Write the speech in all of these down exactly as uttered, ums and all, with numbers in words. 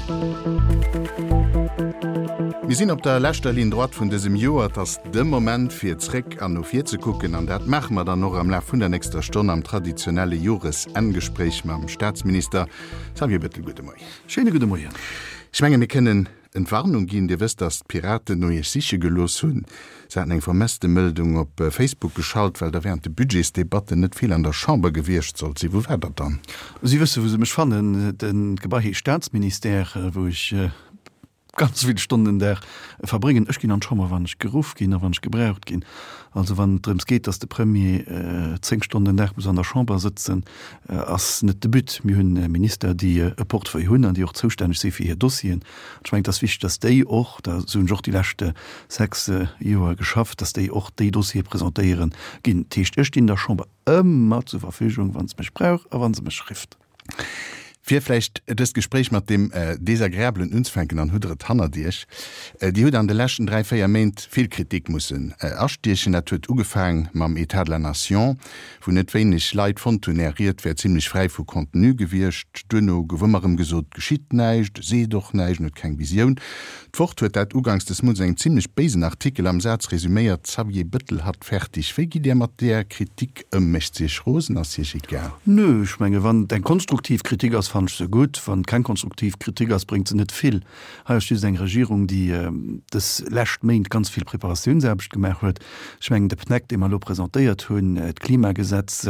Mir sinn op der leschter Ligne droite vun dësem Joer. Et ass de Moment fir zréck an no vir ze kucken an dat maache mer dann och am Laf vun der nächster Stonn am traditionelle Joresenngespréich mam Staatsminister Xavier Bettel. Gudde Moien. Schéine gudde Moien. Ech menge mir kënnen Entwarnung ginn. Dir wësst, datt d'Piraten no Iech siche gelooss hunn. Se haten eng Vermësstemëldung op Facebook geschalt, well Der während de Budgetsdebatten net vill an der Chamber gewiescht sollt sinn. Wou waart Der dann? Si wësse wou se mech fannen. D'Gebai heescht Staatsministère, wou ech ganz vill Stonnen den Dag verbréngen. Ech ginn an d'Chamber, wann ech geruff ginn a wann ech gebraucht ginn. Also wann et drëms geet, datt de Premier zéng Stonnen den Dag muss an der Chamber sëtzen, ass net de But. Mir hunn Minister, déi e Portefeuille hunn an déi och zoustänneg si fir hir Dossieren. An ech mengen, et ass wichteg, datt déi och, da sou hunn ech och déi lescht sechs Joer geschafft, datt déi och déi Dossiere presentéieren ginn. Dat heescht, ech stinn der Chamber ëmmer zur Verfügung, wa se mech brauch a wa se mech rifft. Fir vläicht dëst Gespréich mat deem Desagreablen unzefänken, dann hutt Der et hannert Iech. Dir hutt an de leschten dräi, véier Méint vill Kritik mussen astiechen. Dat huet ugefaang mam État de la nation, wou net wéineg Leit fonnt hunn, Är Ried wär zimlech fräi vu Contenu gewiescht. Duerno gouf ëmmer erëm gesot, et geschitt näischt, e seet och näischt, en huet keng Visioun. D'Wort huet dat uganks des Mounts an engem zimlech béisen Artikel am Saz resüméiert, Xavier Bëttel hat fertig. Wéi gitt Dir mat där Kritik ëm? Mécht se Iech rosen? Ass se Iech egal? Nö, ech menge wann et eng konstruktiv Kritik ass, fannen ech se gutt. Wann et keng konstruktiv Kritik ass, bréngt se net vill. Hei ass just eng Regierung, déi dës lescht Méint ganz vill Preparatiounsaarbecht gemaach huet. Ech mengen, de PNEC, dee mer elo presentéiert hunn, d'Klimagesetz,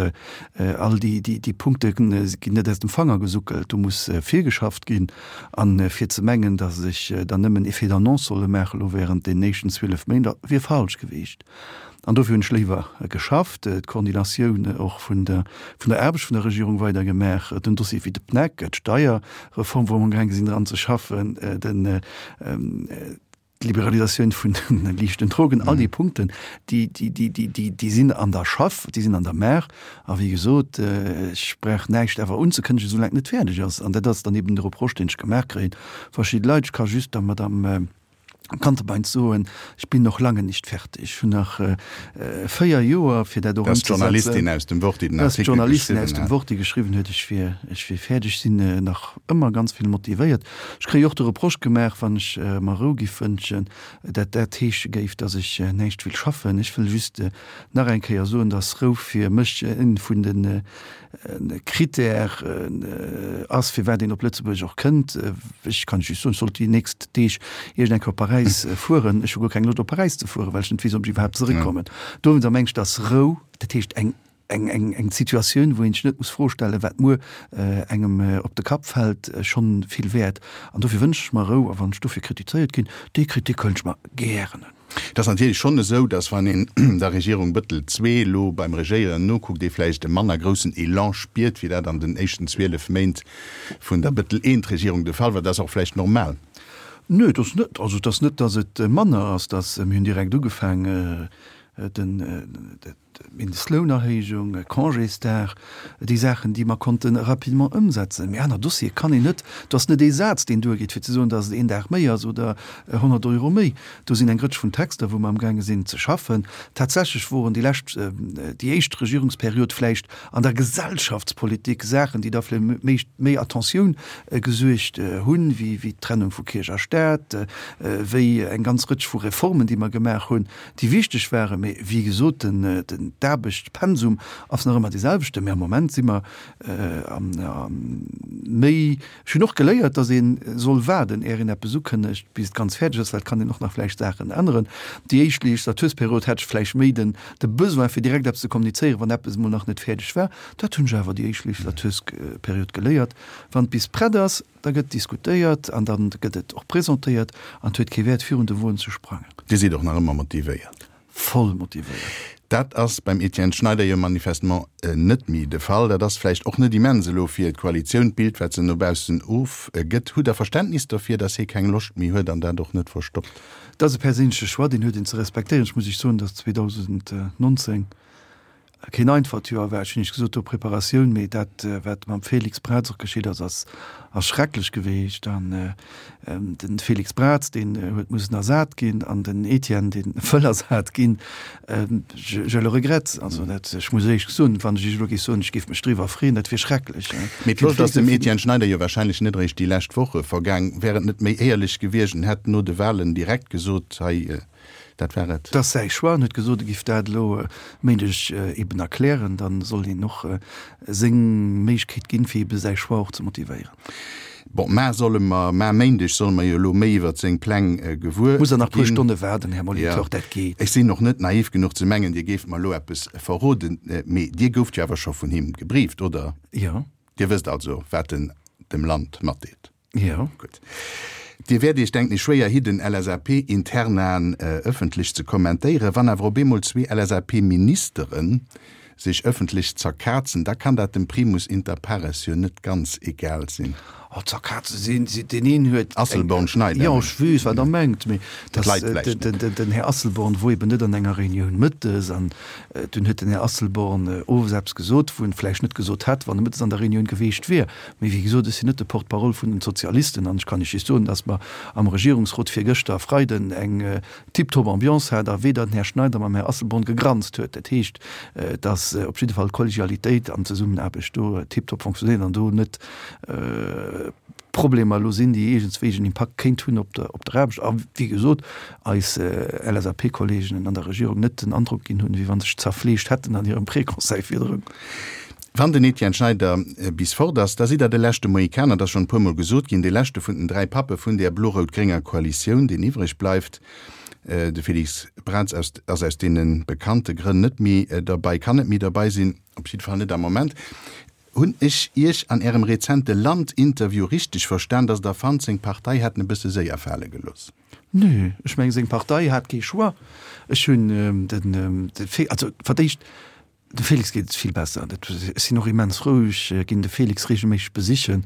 all déi Punkte ginn net aus dem Fanger gesuckelt. Do muss virgeschafft ginn. A fir ze mengen, datt ech dann nëmmen Effet d'annonce solle maachen elo während deenen éischten zwielef Méint, wier falsch gewiescht. An dofir hunn ech léiwer geschafft, d'Koordinatioun och vun der vun der Aarbecht vun der Regierung weider gemaach, den Dossier wéi de PNEC, d'Steierreform, wou mer amgaange sinn dran ze schaffen, den d'Liberalisatioun vun de liichten Drogen, all déi Punkten, déi, déi, déi, déi, déi, déi sinn an der Schaff, déi sinn an der Maach. A wéi gesot, ech brauch näischt awer unzekënnegen, soulaang et net fäerdeg ass. An dat ass dann eben de Reproche, deen ech gemaach kréien. Verschidde Leit, ech ka just der Madame Gantebein soen, ich bin noch lange nicht fertig. Ech hunn nach véier Joer, fir dat och ëmzesetzen. Dat ass d'Journalistin aus dem Wort, déi den Artikel geschriwwen huet. Dat ass d'Journalistin aus dem Wort, déi geschriwwen huet, ech wier, ech wier fäerdeg. Ech sinn nach ëmmer ganz vill motivéiert. Ech kréie och de Reproche gemaach, wann ech mer Rou giff wënschen, dat dat heesche géif, datt ech näischt wéll schaffen. Ech wëll just nach eng Kéier soen, datt Rou fir mech ee vun de Critère ass, firwat een op Lëtzebuerg och kënnt. Ech kann just soen, ech sollt déi nächst Deeg iergend eng Kéier op Paräis fueren. Ech hu guer keng Loscht op Paräis ze fueren, well ech net weess, ob ech iwwerhaapt zeréckkommen. Dowéinster mengen ech, dass Rou, dat heescht eng, eng, eng, eng Situatioun, wou een sech net muss Froe stellen, wat muer engem op de Kapp fält, schonn vill wäert. An dofir wënschen ech mer Rou. A wann ech dofir kritizéiert ginn, déi Kritik huelen ech mer gären un. Et ass natierlech schonn esou, datt wann een der Regierung Bëttel zwee elo beim Regéieren nokuckt, ee vläicht e manner groussen Elan spiert, wéi dat an den éischten zwielef Méint vun der Bëttel I-Regierung de Fall war. Dat ass och vläicht normal. Nö, et ass net, also et ass net, datt et manner ass, datt mir hunn direkt ugefaang, den, D'Mindestlounerhéijung, Congésdag, déi Saachen, déi mer konnte rapidement ëmsetzen. Mee aner Dossiere kann een net, do ass net ee Saz, deen duergeet, fir ze soen, datt et een Dag méi ass oder honnert Euro méi. Do sinn eng Rëtsch vun Texter, wou mer amgaange sinn ze schaffen. Tatsächlech woren déi lescht, déi éischt Regierungsperiod vläicht an der Gesellschaftspolitik Saachen, déi da fir méi, méi Attentioun gesuergt hunn, wéi, wéi d'Trennung vu Kierch a Staat, wéi eng ganz Rëtsch vu Reformen, déi mer gemaach hunn, déi wichteg waren. Mee wéi gesot, den d'Aarbechtspensum ass nach ëmmer dee selwechten, mee am Moment si mer méi. Ech hunn och geléiert, datt ee soll waarden, är een eppes ukënnegt, bis et ganz fäerdeg ass, well et kann een och nach vläicht Saachen änneren. Déi éischt Legislatursperiod hat ech vläicht méi den de Besoin, fir direkt eppes ze kommunizéieren, wann eppes emol nach net fäerdeg war. Dat hunn ech awer déi éischt Legislatursperiod geléiert, Wann et bis prett ass, da gëtt diskutéiert an da gëtt et och presentéiert an et huet kee Wäert, virun de Won ze sprangen. Dir sidd och nach ëmmer motivéiert? Voll motivéiert. Dat ass beim Etienne Schneider jo manifestement net méi de Fall. Dat ass vläicht och net immens elo fir d'Koalitioun, d'Bild wat se no baussen ofgëtt. Hutt Der Verständnis dofir, datt hie keng Loscht méi huet an dat och net verstoppt? Dat ass e perséinleche Choix, deen huet een ze respektéieren. Ech muss Iech soen, datt zweedausendnonzéng keen einfacht Joer war. Ech hunn Iech gesot, do Preparatioun, mee dat, wat mam Félix Braz och geschitt ass, ass ass schrecklech geweecht. An de Félix Braz, deen huet mussen ersat ginn, an den Etienne, dee wëll ersat ginn. Je, je le regrette. Also dat, ech muss éierlech soen, wann ech Iech elo géif soen, ech géif mech driwwer freeën, dat wier schrecklech. Mee d'Loscht ass dem Etienne Schneider jo wahrscheinlech net eréischt déi lescht Woche vergaang. Wär et net méi éierlech gewiescht, en hätt no de Wahlen direkt gesot, hei, dat war et? Et ass säi Choix. En huet gesot, e géif dat elo e Méindeg eben erklären. Da soll een och seng Méiglechkeet ginn, fir ebe säi Choix och ze motivéieren. Bon, mar solle mer, mar Méindeg solle mer jo elo méi iwwert seng Pläng gewuer Muss der nach puer ginn. Stonne waarden, Här Molitor, dat geet. Ech sinn och net naiv genuch ze mengen, Dir géift mer elo eppes verroden, mee Dir gouft jo awer scho vun him gebrieft, oder? Jo. Dir wësst also, wat en dem Land matdeelt? Jo. Gutt. Dir wäert Iech, denken ech, schwéier hidden, L S A P-Internaen ëffentlech ze kommentéieren. Wann awer op eemol zwee L S A P-Ministere sech ëffentlech zerkazen, da kann dat dem Primus inter pares jo net ganz egal sinn. Oh, zerkaze sinn si, deen een huet eng. Asselborn-Schneider. Jo, ech weess, wat Der mengt, mee Dat dass leit vläicht net. den, den Här Asselborn wor eben net an enger Reunioun mëttes an dunn huet den Här Asselborn owes eppes gesot, wou en vläicht net gesot hätt, wann e mëttes an der Reunioun geweecht wier. Mee wéi gesot, ech sinn net de Porte-parole vun den Sozialisten an ech kann Iech just soen, dass mer am Regierungsrot virgëschter Freiden eng tiptop Ambiance hat a weder den Här Schneider mam Här Asselborn gegranzt huet. Dat heescht, dass op jidde Fall d'Kollegialitéit an d'Zesummenaarbecht do tiptop fonctionnéiert an do net Problemer elo sinn, déi iergendswéi en Impakt kéint hunn op der op der Aarbecht. A wéi gesot, eis L S A P-Kolleegen an der Regierung net den Androck ginn hunn, wéi wa se sech zerfleegt hätten an hirem Préconseil virdrun. Wann den Etienne Schneider bis fort ass, da sidd Der de leschte Mohikaner, dat ass schonn e puermol gesot ginn, dee leschte vun den dräi Pappe vun där blo-rout-grénger Koalitioun, deen iwwreg bleift. De Félix Braz ass aus deene bekannte Grënn net méi derbei, kann net méi derbei sinn, op jidde Fall net am Moment. Hunn ech Iech an Ärem rezente Land-Interview richteg verstan, datt Der fannt, seng Partei hätt en e bësse séier fale gelooss? Nö, ech mengen, seng Partei hat kee Choix. Ech hunn den, also fir d'éischt, dem Félix geet et vill besser. Dat, ech sinn och immens frou, ech ginn de Félix reegelméisseg besichen.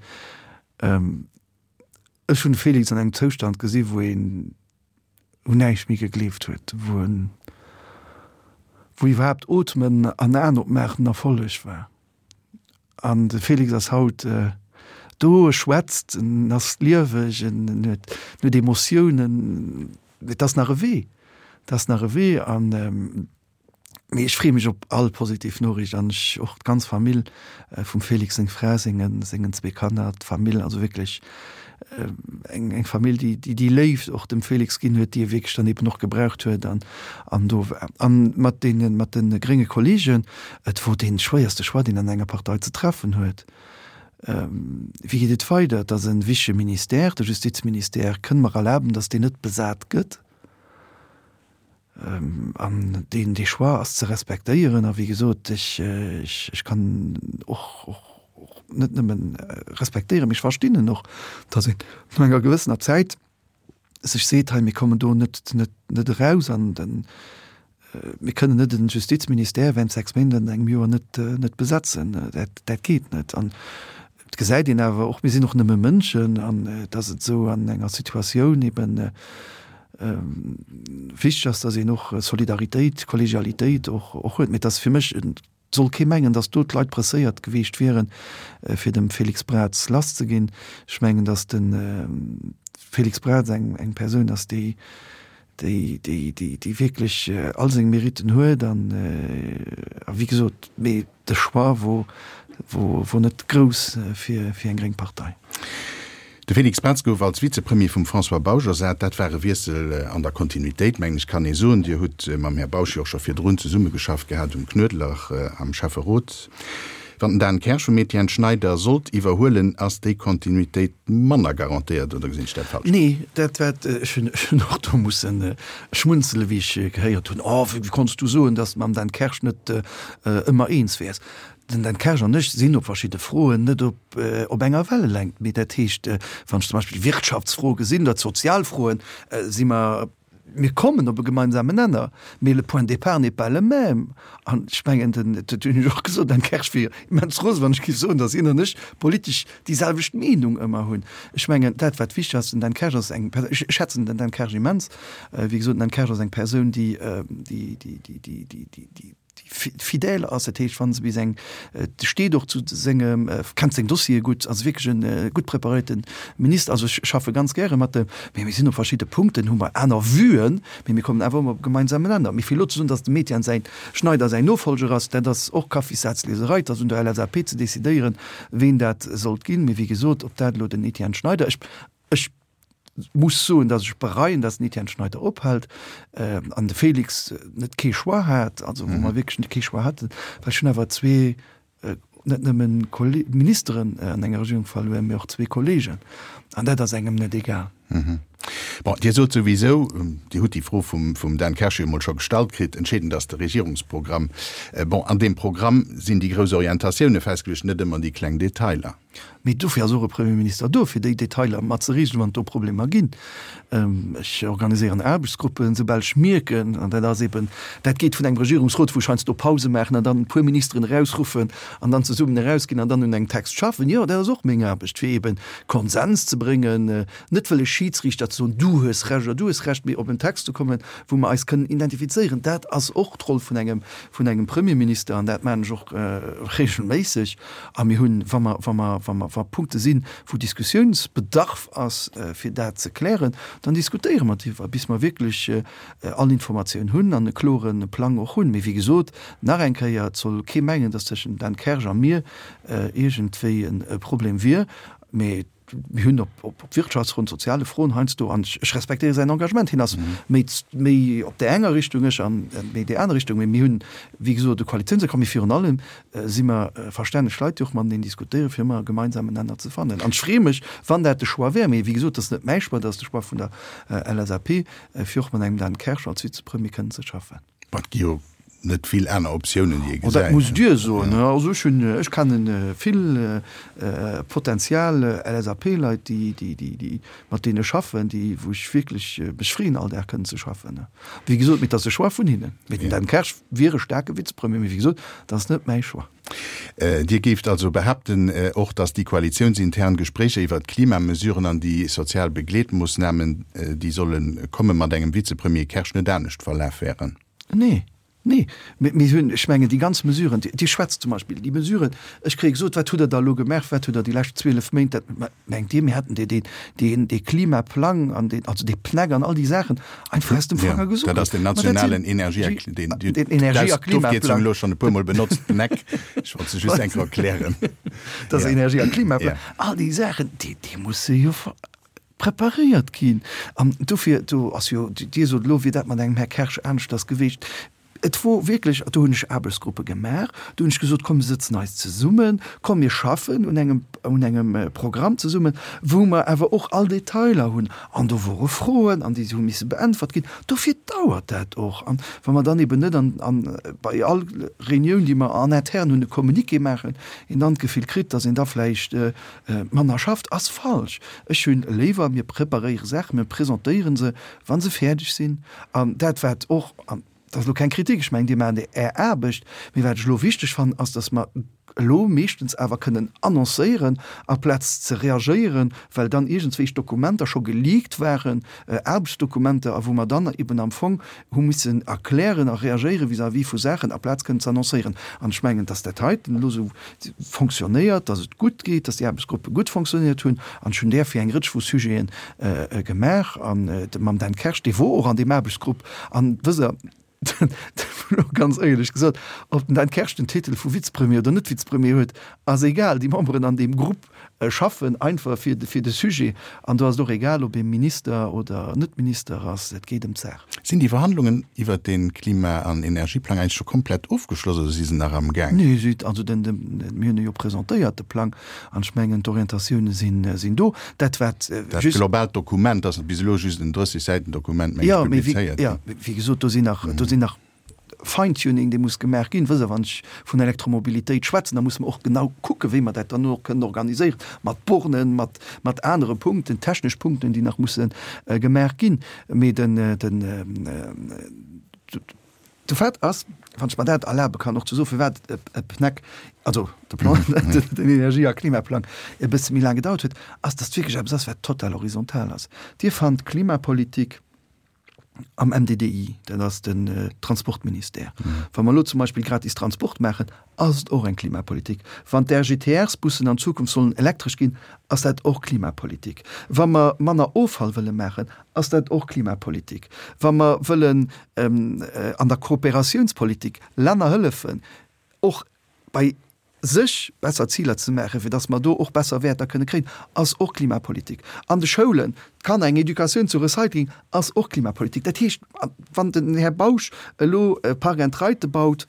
Ech hunn de Félix an engem Zoustand gesi wou een un näischt méi gegleeft huet, wou en, wou iwwerhaapt Ootmen an Aen opmaachen en Erfolleg war. An de Félix ass haut do, e schwätzt, en ass lieweg, en huet, en huet Emotiounen. Et ass nach e Wee, et ass nach e Wee. An, mee ech freeë mech op all positiv Noriicht an ech och d'ganz Famill vum Félix, seng Fra, sengen, sengen zwee Kanner, d'Famill, also wierklech eng, eng Famill, déi, déi déi Léift och dem Félix ginn huet, déi e wierklech dann eben och gebraucht huet an, an do war. An mat deenen, mat de grénge Kollegen, et wor dee schwéierste Choix, deen an enger Partei ze treffen huet. Wéi geet et weider? Et ass e wichtige Ministère, de Justizministère. Kënne mer erlaben, datt deen net besat gëtt? An deen, dee Choix ass ze respektéieren. A wéi gesot, ech, ech, ech kann och, och, och net nëmmen respektéieren, mee ech verstinn en och, datt een no enger gewëssener Zäit sech seet, hei, mir kommen do net, net, net eraus an den, mir kënnen net den Justizministère während sechs Méint an engem Joer net, net besetzen. Dat, dat geet net. An et gesäit een awer och, mir sinn och nëmme Mënschen, an datt et esou an enger Situatioun eben wichteg ass, datt een och Solidaritéit, Kollegialitéit och, och huet. Mee et ass fir mech, et soll kee mengen, datt do d'Leit presséiert geweecht wieren, fir dem Félix Braz lasszeginn. Ech mengen, datt de Félix Braz eng, eng Persoun ass, déi, déi, déi, déi, déi wierklech all seng Meritten huet an, a wéi gesot, mee de Choix wor, wor, wor net grouss fir, fir eng gréng Partei. De Félix Braz gouf als Vizepremier vum François Bausch ersat. Dat war e Wiessel an der Kontinuitéit, mengen ech kann ee soen. Dir hutt mam Här Bausch jo och scho virdrun zesummegeschafft gehat um Knuedler am Schäfferot. Wann den Dan Kersch vum Etienne Schneider sollt iwwerhuelen, ass déi Kontinuitéit manner garantéiert, oder gesinn ech dat falsch? Nee, dat wat ech hunn, ech hunn och do mussen schmunzele wéi ech gehéiert hunn, Oh, wéi konns du soen, datt s de mam Dan Kersch net ëmmer eens wäers? Den Dan Kersch an ech sinn op verschidde Froen net op op enger Wellelängt. Mee dat heescht, wann ech zum Beispill Wirtschaftsfroe gesinn oder d'Sozialfroen, si mer, mir kommen op e gemeinsamen Nenner, mee le point de départ n'est pas le même. An ech mengen, den, dat hunn ech och gesot, den Dan Kersch wier immens rose, wann ech géif soen, datt hien an ech politesch déi selwecht Meenung ëmmer hunn. Ech mengen, dat wat wichteg ass, den Dan Kersch ass eng Persoun, ech schätzen den Dan Kersch immens, wéi gesot, den Dan Kersch ass eng Persoun, déi, déi, déi, déi, déi, déi, déi, déi fidèle ass, dat heescht, wa se bis eng, steet och zu sengem, kennt seng Dossiere gutt, ass wierklech e gutt preparéierte Minister. Also ech schaffe ganz gäre mat em, mee mir sinn op verschidde Punkten, hu mer aner Vuen, mee mir kommen awer ëmmer op e gemeinsamen Nenner. Mee fir elo ze soen, datt dem Etienne säin Schneider säin Nofolger ass, dat ass och Kaffissazlieserei. Et ass un der LSAP ze decidéieren, ween dat sollt ginn. Mee wéi gesot, ob dat elo den Etienne Schneider, ech, ech muss soen, datt ech bereien, datt den Etienne Schneider ophält an de Félix net kee Choix hat, also wou mer wierklech net kee Choix haten, well ech hunn awer zwee, net nëmmen Ministeren an enger Regierung verluer, mee och zwee Kollegen. An dat ass engem net egal. Bon, Dir sot souwisou, Dir hutt déi Fro vum, vum Dan Kersch jo emol scho gestallt kritt, entscheedend ass de Regierungsprogramm. Bon, an deem Programm sinn déi grouss Orientatioune festgeluecht, net ëmmer déi kleng Detailer. Mee dofir ass och e Premierminister do, fir déi Detailer mat ze reegelen, wann et do Problemer ginn. Ech organiséieren Aarbechtsgruppen, soubal ech mierken, an dat ass eben, dat geet vun engem Regierungsrot, wou ech heiansdo Pause maachen an dann e puer Ministeren erausruffen an dann zesummen erausginn an dann un engem Text schaffen. Jo, dat ass och meng Aarbecht, fir eben Konsens ze bréngen, net wëlle Schidsriichter ze soen, du hues Recht oder du hues Recht, mee op en Text ze kommen, wou mer eis kënnen identifizéieren. Dat ass och d'Roll vun engem, vun engem Premierminister an dat maachen ech och regelméisseg. A mir hunn, wa mer, wa mer, wa mer, wa Punkte sinn, wou Diskussiounsbedarf ass, fir dat ze klären, dann diskutéiere mer driwwer, bis mer wierklech all Informatioun hunn an e klore Plang och hunn. Mee wéi gesot, nach eng Kéier, et soll kee mengen, datt tëschent dem Dan Kersch a mir iergendwéi e Problem wier. Mee mir hunn op, op, op Wirtschaftsfroen, soziale Froen heiansdo, an ech respektéiere säin Engagement, hien ass méi, méi op där enger Richtung, ech an méi déi aner Richtung, mee mir hunn, wéi gesot, e Koalitiounsaccord, mee virun allem si mer verstänneg Leit, déi och mateneen diskutéieren, fir ëmmer e gemeinsamen Nenner ze fannen. An ech freeë mech, wann dat de Choix wär, mee wéi gesot, dat ass net mäi Choix, dat ass de Choix vun der LSAP, fir och mat engem Dan Kersch als Vizepremier kënnen ze schaffen. Bon, et gi jo net vill aner Optiounen, déi ee gesäit. Dat musst Dir soen. Also ech hunn, ech kenne vill potential LSAP-Leit, déi, déi, déi, déi, mat deene ech schaffen, déi, wou ech wierklech mech freeën, all Dag kënnen ze schaffen. Wéi gesot, mee et ass e Choix vun hinnen. Mee den Dan Kersch wier e staarke Vizepremier, mee wéi gesot, dat ass net mäi Choix. Dir géift also behaapten och, datt déi koalitiounsintern Gespréicher iwwert d'Klimamesuren an déi sozial Begleetmoossnamen, déi solle komme mat engem Vizepremier Kersch net anescht verlaf wären? Nee. Nee, mee mir hunn, ech mengen, déi ganz Mesuren, Dir schwätzt zum Beispill déi Mesuren, ech kréie gesot, wat hutt Der da elo gemaach, wat hutt Der déi lescht zwielef Méint, dat, mengt Dir, mir hätten dee, dee, deen, dee Klimaplang an deen, also dee PNEC an all déi Saachen einfach aus dem Fanger gesougt? Dat ass den nationalen Energie a, deen, den Energie a Klimaplang. Elo schonn e puermol benotzt, PNEC, ech wollt se just eng Kéier erklären. Dat ass Energie a Klimaplang. All déi Saachen, déi, déi musse jo preparéiert ginn. An dofir, do ass jo, Dir sot elo, wier dat mat engem Här Kersch aneschters gewiescht. Et wor wierklech, do hunn ech Aarbechtsgruppe gemaach, do hunn ech gesot, komm mir sëtzen eis zesummen, komm mir schaffen un engem, un engem Programm zesummen, wou mer awer och all Detailer hunn. An do wore Froen an déi hu misse beäntwert ginn. Dofir dauert dat och. An wa mer dann eben net an, an bei all Reunioun, déi mer en interne hunn, e Communiqué maachen, een dann d'Gefill kritt, datt een da vläicht manner schafft, ass falsch. Ech hunn léiwer, mir preparéiere Saachen, mir presentéiere se, wa se fäerdeg sinn. An dat wat och, an dat ass elo keng Kritik, ech mengen, Dir maacht Är Aarbecht, mee wat ech elo wichteg fannen, ass, datt mer elo meeschtens awer kënnen annoncéieren, aplaz ze reagéieren, well dann iergendswéich Dokumenter scho geleakt waren, Aarbechtsdokumenter, a wou mer dann eben am Fong hu missen erklären a reagéiere vis-à-vis vu Saachen, aplaz kënnen ze annoncéieren. An ech mengen, dass dat heiten elo esou fonctionnéiert, dass et gutt geet, dass déi Aarbechtsgruppe gutt fonctionnéiert hunn. An ech hunn där fir eng Rëtsch vu Sujete gemaach. An mam Dan Kersch, dee wor och an deem Aarbechtsgrupp. An wësst Der, elo ganz éierlech gesot, ob den Dan Kersch den Titel vu Vizepremier oder net Vizepremier huet, ass egal. Déi Memberen an deem Grupp schaffen einfach fir de Sujet. An do ass et och egal, ob ee Minister oder net Minister ass, et geet ëm d'Saach. Sinn déi Verhandlungen iwwert dee Klima an Energieplang eigentlech scho komplett ofgeschloss oder si se nach am Gaang? Nee, si, also den, den, mir hunn e jo presentéiert, de Plang, an ech mengen, d'Orientatioune sinn, sinn do. Dat wat Dat just. Globaalt Dokument ass bis elo just en drësseg Säiten Dokument, meng ech, Jo, mee wéi, publizéiert jo, ginn. wéi gesot, do sinn nach, do sinn nach Feintuning, dee muss gemaach ginn. Wësst Der, wann ech vun Elektromobilitéit schwätzen, da musse mer och genau kucken, wéi mer dat dann och kënnen organiséieren, mat Bornen, mat, mat anere Punkten, technesch Punkten, déi nach musse gemaach ginn. Mee den, den, de Fait ass, wann ech mer dat erlabe kann och ze soen, firwat e PNEC, also de Plan, den Energie a Klimaplang e bësse méi laang gedauert huet, ass, datt et wierklech eppes ass, wat total horizontal ass. Dir fannt Klimapolitik, Am M D D I, dat ass den Transportministère. Wa mer elo zum Beispill gratis Transport maachen, ass et och eng Klimapolitik. Wann d'R G T Rs-Bussen an Zukunft sollen elektresch ginn, ass dat och Klimapolitik. Wa mer manner Offall wëlle maachen, ass dat och Klimapolitik. Wa mer wëllen an der Kooperatiounspolitik Länner hëllefen, och bei sech besser Ziler ze maachen, fir dass mer do och besser Wäerter kënne kréien, ass och Klimapolitik. An de Schoulen d'Kanner eng Educatioun zu Recycling ass och Klimapolitik. Dat heescht, wann den Här Bausch elo Park and Ride baut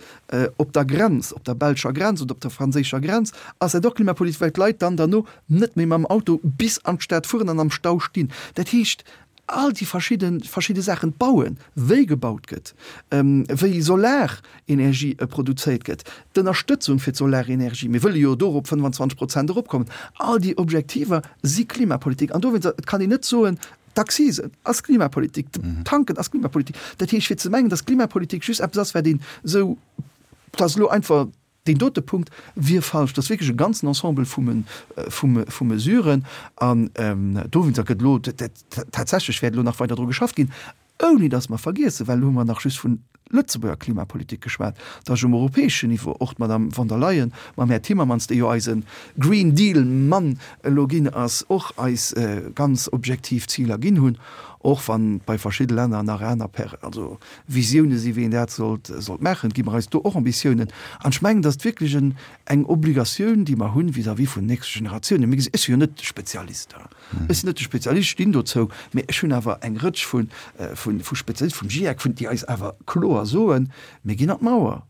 op der Grenz, op der belscher Grenz oder op der franséischer Grenz, ass dat och Klimapolitik, well d'Leit dann derno net méi mam Auto bis an d'Stad fueren an am Stau stinn. Dat heescht, all déi verschidde verschidde Saachen, d'Bauen, wéi gebaut gëtt, wéi Solarenergie produzéiert gëtt, d'Ënnerstëtzung fir d'Solarenergie, mir wëlle jo do op fënnefanzwanzeg Prozent eropkommen, all déi Objektiver si Klimapolitik. An dowéinst, et kann een net soen, d'Accisen ass Klimapolitik, d'Tanken ass Klimapolitik. Dat heescht, fir ze mengen, datt Klimapolitik just eppes ass, wat een esou, dat ass elo einfach deen dote Punkt, wier falsch. Dat ass wierklech e ganzen Ensemble vu Mesuren. An dowéinst gëtt elo tatsächlech wäert elo nach weider dru geschafft ginn, ouni datt mer vergiessen, well elo hu mer nach just vun Lëtzebuerger Klimapolitik geschwat, datt um europäeschen Niveau och d'Madame von der Leyen mam Här Timmermans, dee jo eise Green Deal-Mann elo ginn ass, och eis ganz objektiv Ziler ginn hunn, och wann bei verschidde Länner nach aner Per also Visioune si wéi een dat sollt sollt maachen, gi mer eis do och Ambitiounen. An ech mengen, datt wierklech en eng Obligatioun, déi mer hunn vis-à-vis vun den nächste Generatiounen. Mir gesi, ech si jo net de Spezialist, ech sinn net de Spezialist, ech stinn dozou, mä ech hunn awer eng Rëtsch vu vu vu Spezialisten, vum GIEC, vun déi eis awer kloer soen, mir ginn an d'Mauer.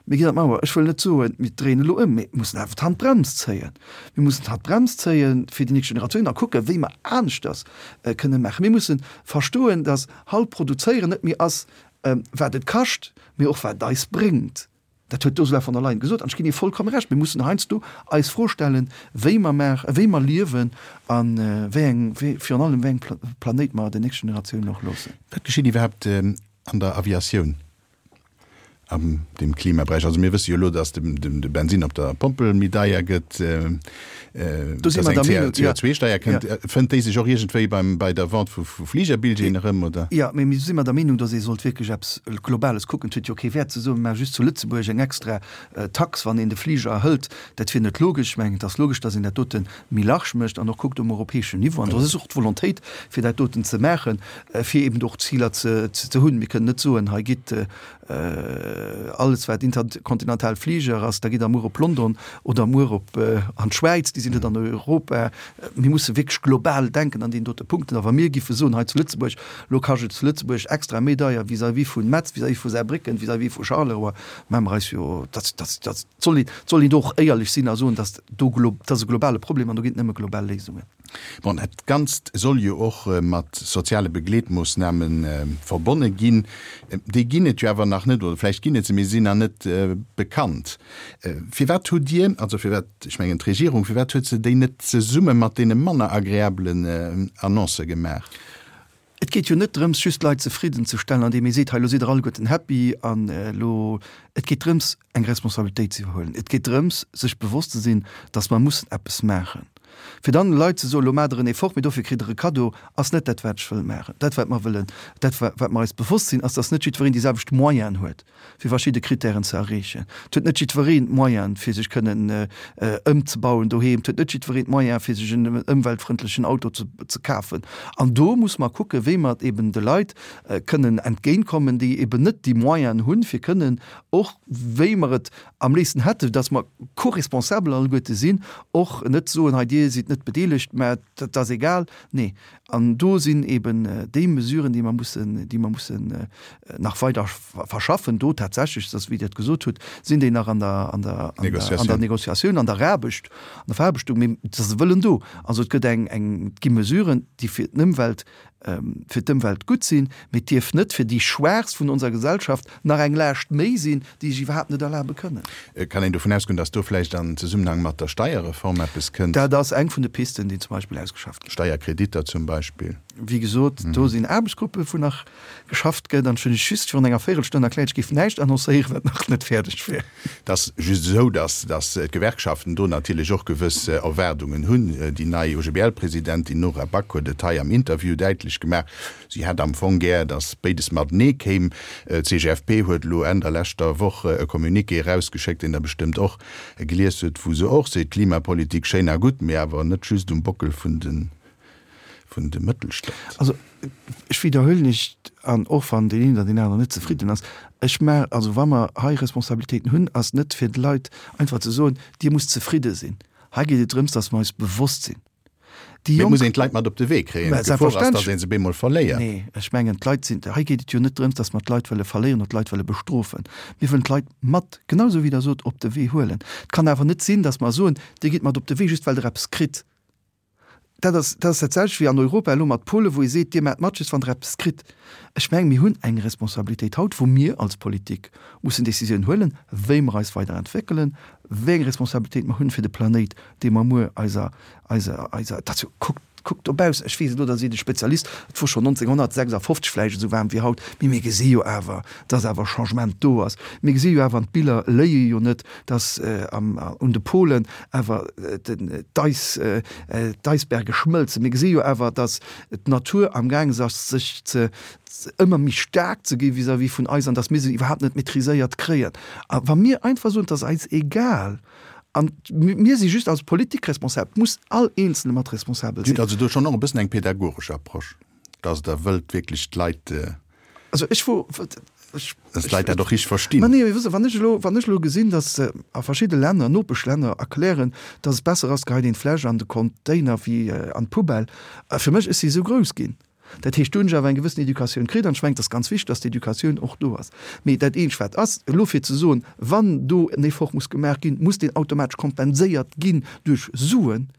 Mir ginn an d'Mauer. Ech wëll net soen, mir dréinen elo ëm, mee mir mussen awer d'Handbrems zéien. Mir mussen d'Handbrems zéie fir déi nächst Generatiounen a kucken, wéi mer aneschters kënne maachen. Mir musse verstoen, dass haut produzéieren net méi ass, wat et kascht, mee och wat et eis bréngt. Dat huet d'Ursula von der Leyen gesot an ech ginn hir vollkomme Recht. Mir mussen heiansdo eis Fro stellen, wéi mer maachen, wéi mer liewen a wéi eng, wéi, virun allem wéi eng Planéit mer den nächste Generatiounen och loossen. Wat geschitt iwwerhaapt an der Aviatioun an dem Klimaberäich? Also mir wësse jo elo, datt de Bensin op der Pompel méi deier gëtt, datt eng C O zwei Steier kënnt. Fënnt déi sech och iergendwéi beim, bei der Vente vu Fligerbilljeeën erëm, oder? Jo, mee mir si mer der Meenung, datt ee sollt wierklech eppes Globales kucken. Et huet jo kee Wäert ze soen, mir maache just zu Lëtzebuerg eng extra Tax, wann een de Fliger hëlt. Dat wier net logesch. Ech mengen, et ass logesch, datt een dat dote méi large mécht an och kuckt um europäeschen Niveau. An do ass och d'Volontéit, fir dat doten ze maachen, fir eben och Ziler ze hunn. Mir kënnen net soen, hei gitt alles wat interkontinental Fliger ass, da gitt der muer op London oder muer op an d'Schwäiz, déi sinn net an Europa. Mir musse wierklech global denken an deenen dote Punkten. A wa mir giffe soen hei zu Lëtzebuerg, elo kascht et zu Lëtzebuerg extra méi deier vis-à-vis vu Metz, vis-à-vis vu Saarbrécken, vis-à-vis vu Charleroi, maache mer eis jo, dat, dat, dat soll een, soll een do och éierlech sinn a soen, dass do, dat ass e globale Problem an do ginn et nëmme global Léisungen. Bon, dat Ganzt soll jo och mat soziale Begleetmoossname verbonne ginn. Déi ginn et jo awer nach net, oder vläicht ginn et se, mee si sinn nach net bekannt. Firwat hutt Dir, also firwat, ech mengen d'Regierung, firwat huet se déi net zesumme mat deene manner agreabelen Annoncë gemaach? Et geet jo net drëms, just d'Leit zefridden ze stellen, andeem ee seet, hei, elo sidd Der alleguerten happy an elo. Et geet drëms, eng Responsabilitéit ze iwwerhuelen. Et geet drëms, sech bewosst ze sinn, dass mer mussen eppes maachen. Fir dann de Leit ze soen, elo maacht Der en Effort, mee dofir kritt Der e Kaddo, ass net dat, wat ech wëll maachen. Dat, wat mer wëllen, dat, wat mer eis bewosst sinn, ass, dass net jiddwereen déi selwecht Moyenen huet, fir verschidde Kritären ze erreechen. Et huet net jiddwereen d'Moyenen, fir sech kënnen ëmzebauen doheem. Et huet net jiddwereen d'Moyenen, fir sech en ëmweltfrëndlechen Auto ze, ze kafen. An do muss mer kucken, wéi mer eben de Leit kënnen entgéintkommen, déi eben net déi Moyenen hunn, fir kënnen och, wéi mer et am léifsten hätten, dass mer co-responsabel alleguerte sinn, och net soen, hei Dir sidd net bedeelegt, mä dat ass egal. Nee, an do sinn eben déi Mesuren, déi mer mussen, déi mer mussen nach weider verschaffen. Do tatsächlech, dass, wéi Dir et gesot hutt, sinn déi nach an der, an der, an der, an der Négociatioun, an der Eraarbecht, an der Veraarbechtung, mee et ass e Wëllen do. Also et gëtt eng, eng, et gi Mesuren, déi fir d'Ëmwelt, fir d'Ëmwelt gutt sinn, mee et dierf net fir déi Schwaachst vun onser Gesellschaft nach eng Laascht méi sinn, déi sech iwwerhaapt net erlabe kënnen. Kann een dovun ausgoen, dass do vläicht an Zesummenhang mat der Steierreform eppes kënnt? Dat ass eng vun de Pisten, déi zum Beispill ausgeschafft ginn. Steierkreditter zum Beispill. Wéi gesot, do sinn Aarbechtsgruppe wou nach geschafft gëtt. An ech hunn lech just virun enger Véirelstonn erkläert, ech géif näischt annoncéieren, wat nach net fäerdeg wier. Et ass just esou, dass d'Gewerkschaften do natierlech och gewëss Erwaardungen hunn. Déi nei O G B L-Presidentin Nora Back huet et hei am Interview däitlech däitlech gemaach, si hätt am Fong gär, datt béides matenee kéim. D'CGFP huet elo Enn der leschter Woch e Communiqué erausgeschéckt, deen Der bestëmmt och gelies hutt, wou se och seet, Klimapolitik schéin a gutt, mee awer net just um Bockel vun de vun de Mëttelstand. Also ech widderhuelen lech, an och wann deen een oder deen aneren net zefridden ass, ech mä also wa mer hei Responsabilitéiten hunn, ass net fir de Leit einfach ze soen, Dir musst zefridde sinn. Hei geet et drëms, datt mer eis bewosst sinn, déi Mee Jonk. muss een d'Leit mat op de Wee kréien. Mä D'Gefor ass, datt selbstverständlech. ee se bemol verléiert. Nee, ech mengen d'Leit sinn, hei geet et jo net drëms, datt mer d'Leit wëlle verléieren oder d'Leit wëlle bestrofen. Mir wëllen d'Leit mat, genau esou wéi Der sot, op de Wee huelen. Et kann awer net sinn, datt mer soen, Dir gitt mat op de Wee, just well Der eppes kritt. Dat ass, dat ass dat selwecht wéi an Europa elo mat Polen, wou ee seet, Dir maacht mat, just wann Der eppes kritt. Ech mengen, mir hunn eng Responsabilitéit haut, wou mir als Politik mussen Décisiounen huelen, wéi mer eis weider entwéckelen, wéi eng Responsabilitéit mer hunn fir de Planéit, dee mer muer eiser, eiser, eiser, dat ass jo, kuckt, kuckt dobaussen, ech weess elo, da sidd e Spezialist, et wor schonn nonzénghonnertsechsafofzeg vläicht esou waarm wéi haut, mee mir gesi jo awer, dass awer Changement do ass. Mir gesi jo awer, an d'Biller léie jo net, dass am, un de Polen awer den, d'Eis, d'Eisberge schmëlzen. Mir gesi jo awer, dass d'Natur amgaangen ass, sech ze, ëmmer méi staark ze gi vis-à-vis vun eis an dass mir se iwwerhaapt net maîtriséiert kréien. A wa mir einfach soen, et ass eis egal, an mir si just als Politik responsabel, et muss all Eenzelne mat responsabel Dir hutt sinn. also do schonn och e bëssen eng pädagogesch Approche, dass Der wëllt wierklech d'Leit, Also ech wor, ech, dass d'Leit dat och richteg verstinn. Ma nee, mee wësst Der, wann ech elo, wann ech elo gesinn, dass a verschidde Länner, Nopeschlänner erklären, dass et besser ass, geheit een d'Fläsch an de Container wéi an d'Poubelle, fir mech, ech si esou grouss ginn, Dat heescht, do hunn ech awer eng gewëssen Educatioun kritt an ech mengen, et ass ganz wichteg, dass d'Educatioun och do ass. Mee dat eenzegt, wat ass, elo fir ze soen, wann do en Effort muss gemaach ginn, muss deen automatesch kompenséiert ginn duerch Suen,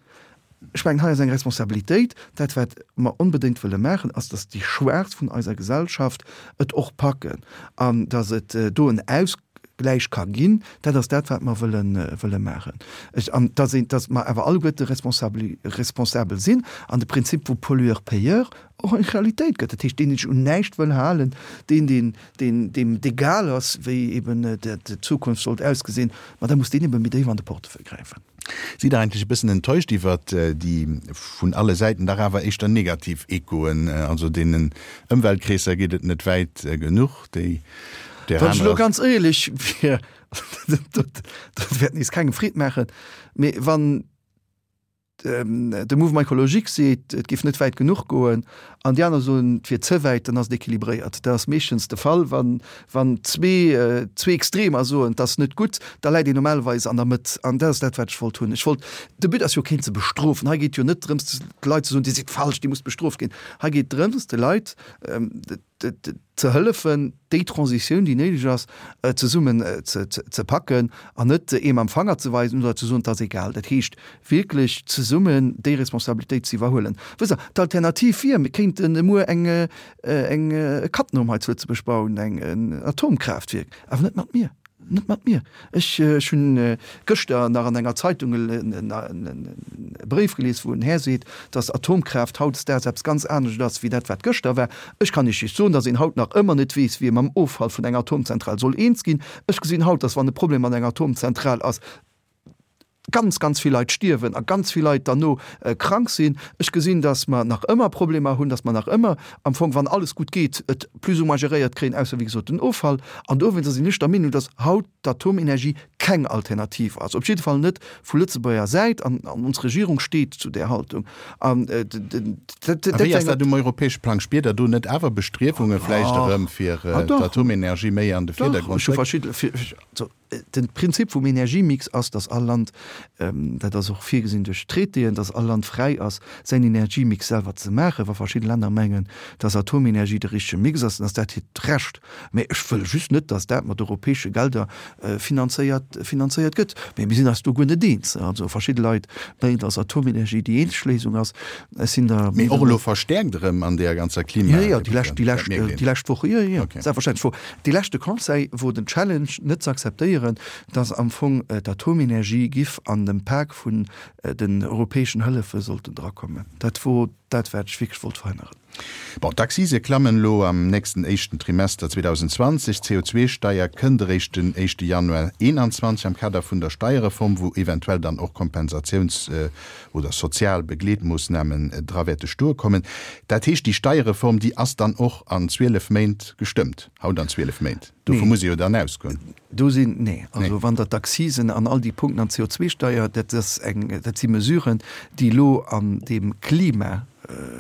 ech mengen, hei ass eng Responsabilitéit. Dat, wat mer onbedéngt wëlle maachen, ass, dass déi Schwaachst vun eiser Gesellschaft et och packen an dass et do en Ausgläich ka ginn. Dat ass dat, wat mer wëlle, wëlle maachen. Ech, an dass een, dass mer awer alleguerte responsabel, responsabel sinn an de Prinzip vu Pollueur-payeur och eng Realitéit gëtt. Dat heescht, deen, deen sech un näischt wëll halen, deen, deen, deen, deem et egal ass, wéi eben d'Zukunft sollt ausgesinn, ma da muss deen ebe méi déif an de Portefeuille gräifen. Sidd Der eigentlech e bëssen enttäuscht iwwert déi vun alle Säiten dach awer éischter negativ Echoen? Also deenen Ëmweltkreesser geet et net wäit genuch, déi där Wann ech elo anerer. ganz éierlech wier, dat wäert nees kengem Freed maachen, mee wann de Mouvement écologique seet, et géif net wäit genuch goen, an déi aner soen, et wier ze wäit, dann ass et équilibréiert. Dat ass meeschtens de Fall, wann, wann zwee, zwee Extremer soen, et ass net gutt, da läit een normalerweis an der Mëtt. An dat ass dat, wat ech wollt hunn. Ech wollt, de But ass jo keen ze bestrofen. Hei geet jo net drëms, de Leit ze soen, Dir sidd falsch, Dir musst bestrooft ginn. Hei geet drëms, de Leit ze hëllefen, déi Transitioun, déi néideg ass, zesummen ze packen an net ee mam Fanger ze weisen oder ze soen, et ass egal. Dat heescht wierklech zesummen déi Responsabilitéit ze iwwerhuelen. Wësst Der, d'Alternativ wier, mir kéinten muer eng, eng Cattenom hei zu Lëtzebuerg bauen, eng, en Atomkraaftwierk, awer net mat mir. Net mat mir. Ech hunn gëschter nach an enger Zeitung e Bréif gelies, wou en Här seet, datt Atomkraaft hautdesdaags eppes ganz anescht ass wéi dat, wat gëschter war. Ech kann Iech just soen, datt een haut nach ëmmer net weess, wéi ee mam Offall vun enger Atomzentral soll eens ginn. Ech gesinn haut, datt wann e Problem mat enger Atomzentral ass, ganz, ganz vill Leit stierwen a ganz vill Leit derno krank sinn. Ech gesinn, datt mer nach ëmmer Problemer hunn, datt mer nach ëmmer am Fong, wann alles gutt geet, et plus ou moins geréiert kréien, ausser wéi gesot den Offall. An dowéinster sinn ech der Meenung, datt haut d'Atomenergie keng Alternativ ass, op jidde Fall net vu Lëtzebuerger Säit, an ons Regierung steet zu där Haltung. An dat A wéi ass dat um europäesche Plang? Spiert Der do net awer Bestriewunge vläicht erëm, fir d'Atomenergie méi an de Virdergrond ze récken? Dach, De Prinzip vum Energiemix ass, datt all Land, dat ass och virgesinn duerch d'Traitéen, datt all Land fräi ass, säin Energiemix selwer ze maachen. Wa verschidde Länner mengen, datt Atomenergie de richtege Mix ass, dann ass dat hiert Recht. Mä ech wëll just net, datt dat mat europäesche Gelder finanzéiert finanzéiert gëtt. Mä mir sinn eis do guer net eens. Also verschidde Leit mengen, datt Atomenergie déi eenzeg Léisung ass. Ech sinn der Mee och elo verstäerkt erëm an deeër ganzer Klima. Jo, jo, déi lescht, déi lescht, déi lescht Woche, jo, jo, selbstverständlech. Wor dee leschte Conseil wor den Challenge net ze akzeptéieren, dass am Fong d'Atomenergie giff an dem Pak vun den europäeschen Hëllefe sollten drakommen. Dat wor dat, wat ech wierklech wollt verhënneren. Bon, d'Accise klammen elo am nächsten éischten Trimester zweedausendzwanzeg, d'C O zwei Steier kënnt eréischt den éischte Januar eenanzwanzeg am Kader vun der Steierreform, wou eventuell dann och Kompensatiouns oder sozial Begleetmoossnamen dra wäerte stoe kommen. Dat heescht, déi Steierreform, déi ass dann och an zwielef Méint gestëmmt, haut an zwielef Méint. Dovu muss ee jo dann ausgoen. Do sinn, nee, also wann Der d'Accisen an all déi Punkten an d'C O zwei Steier, dat ass eng, dat si Mesuren, déi elo an deem Klima,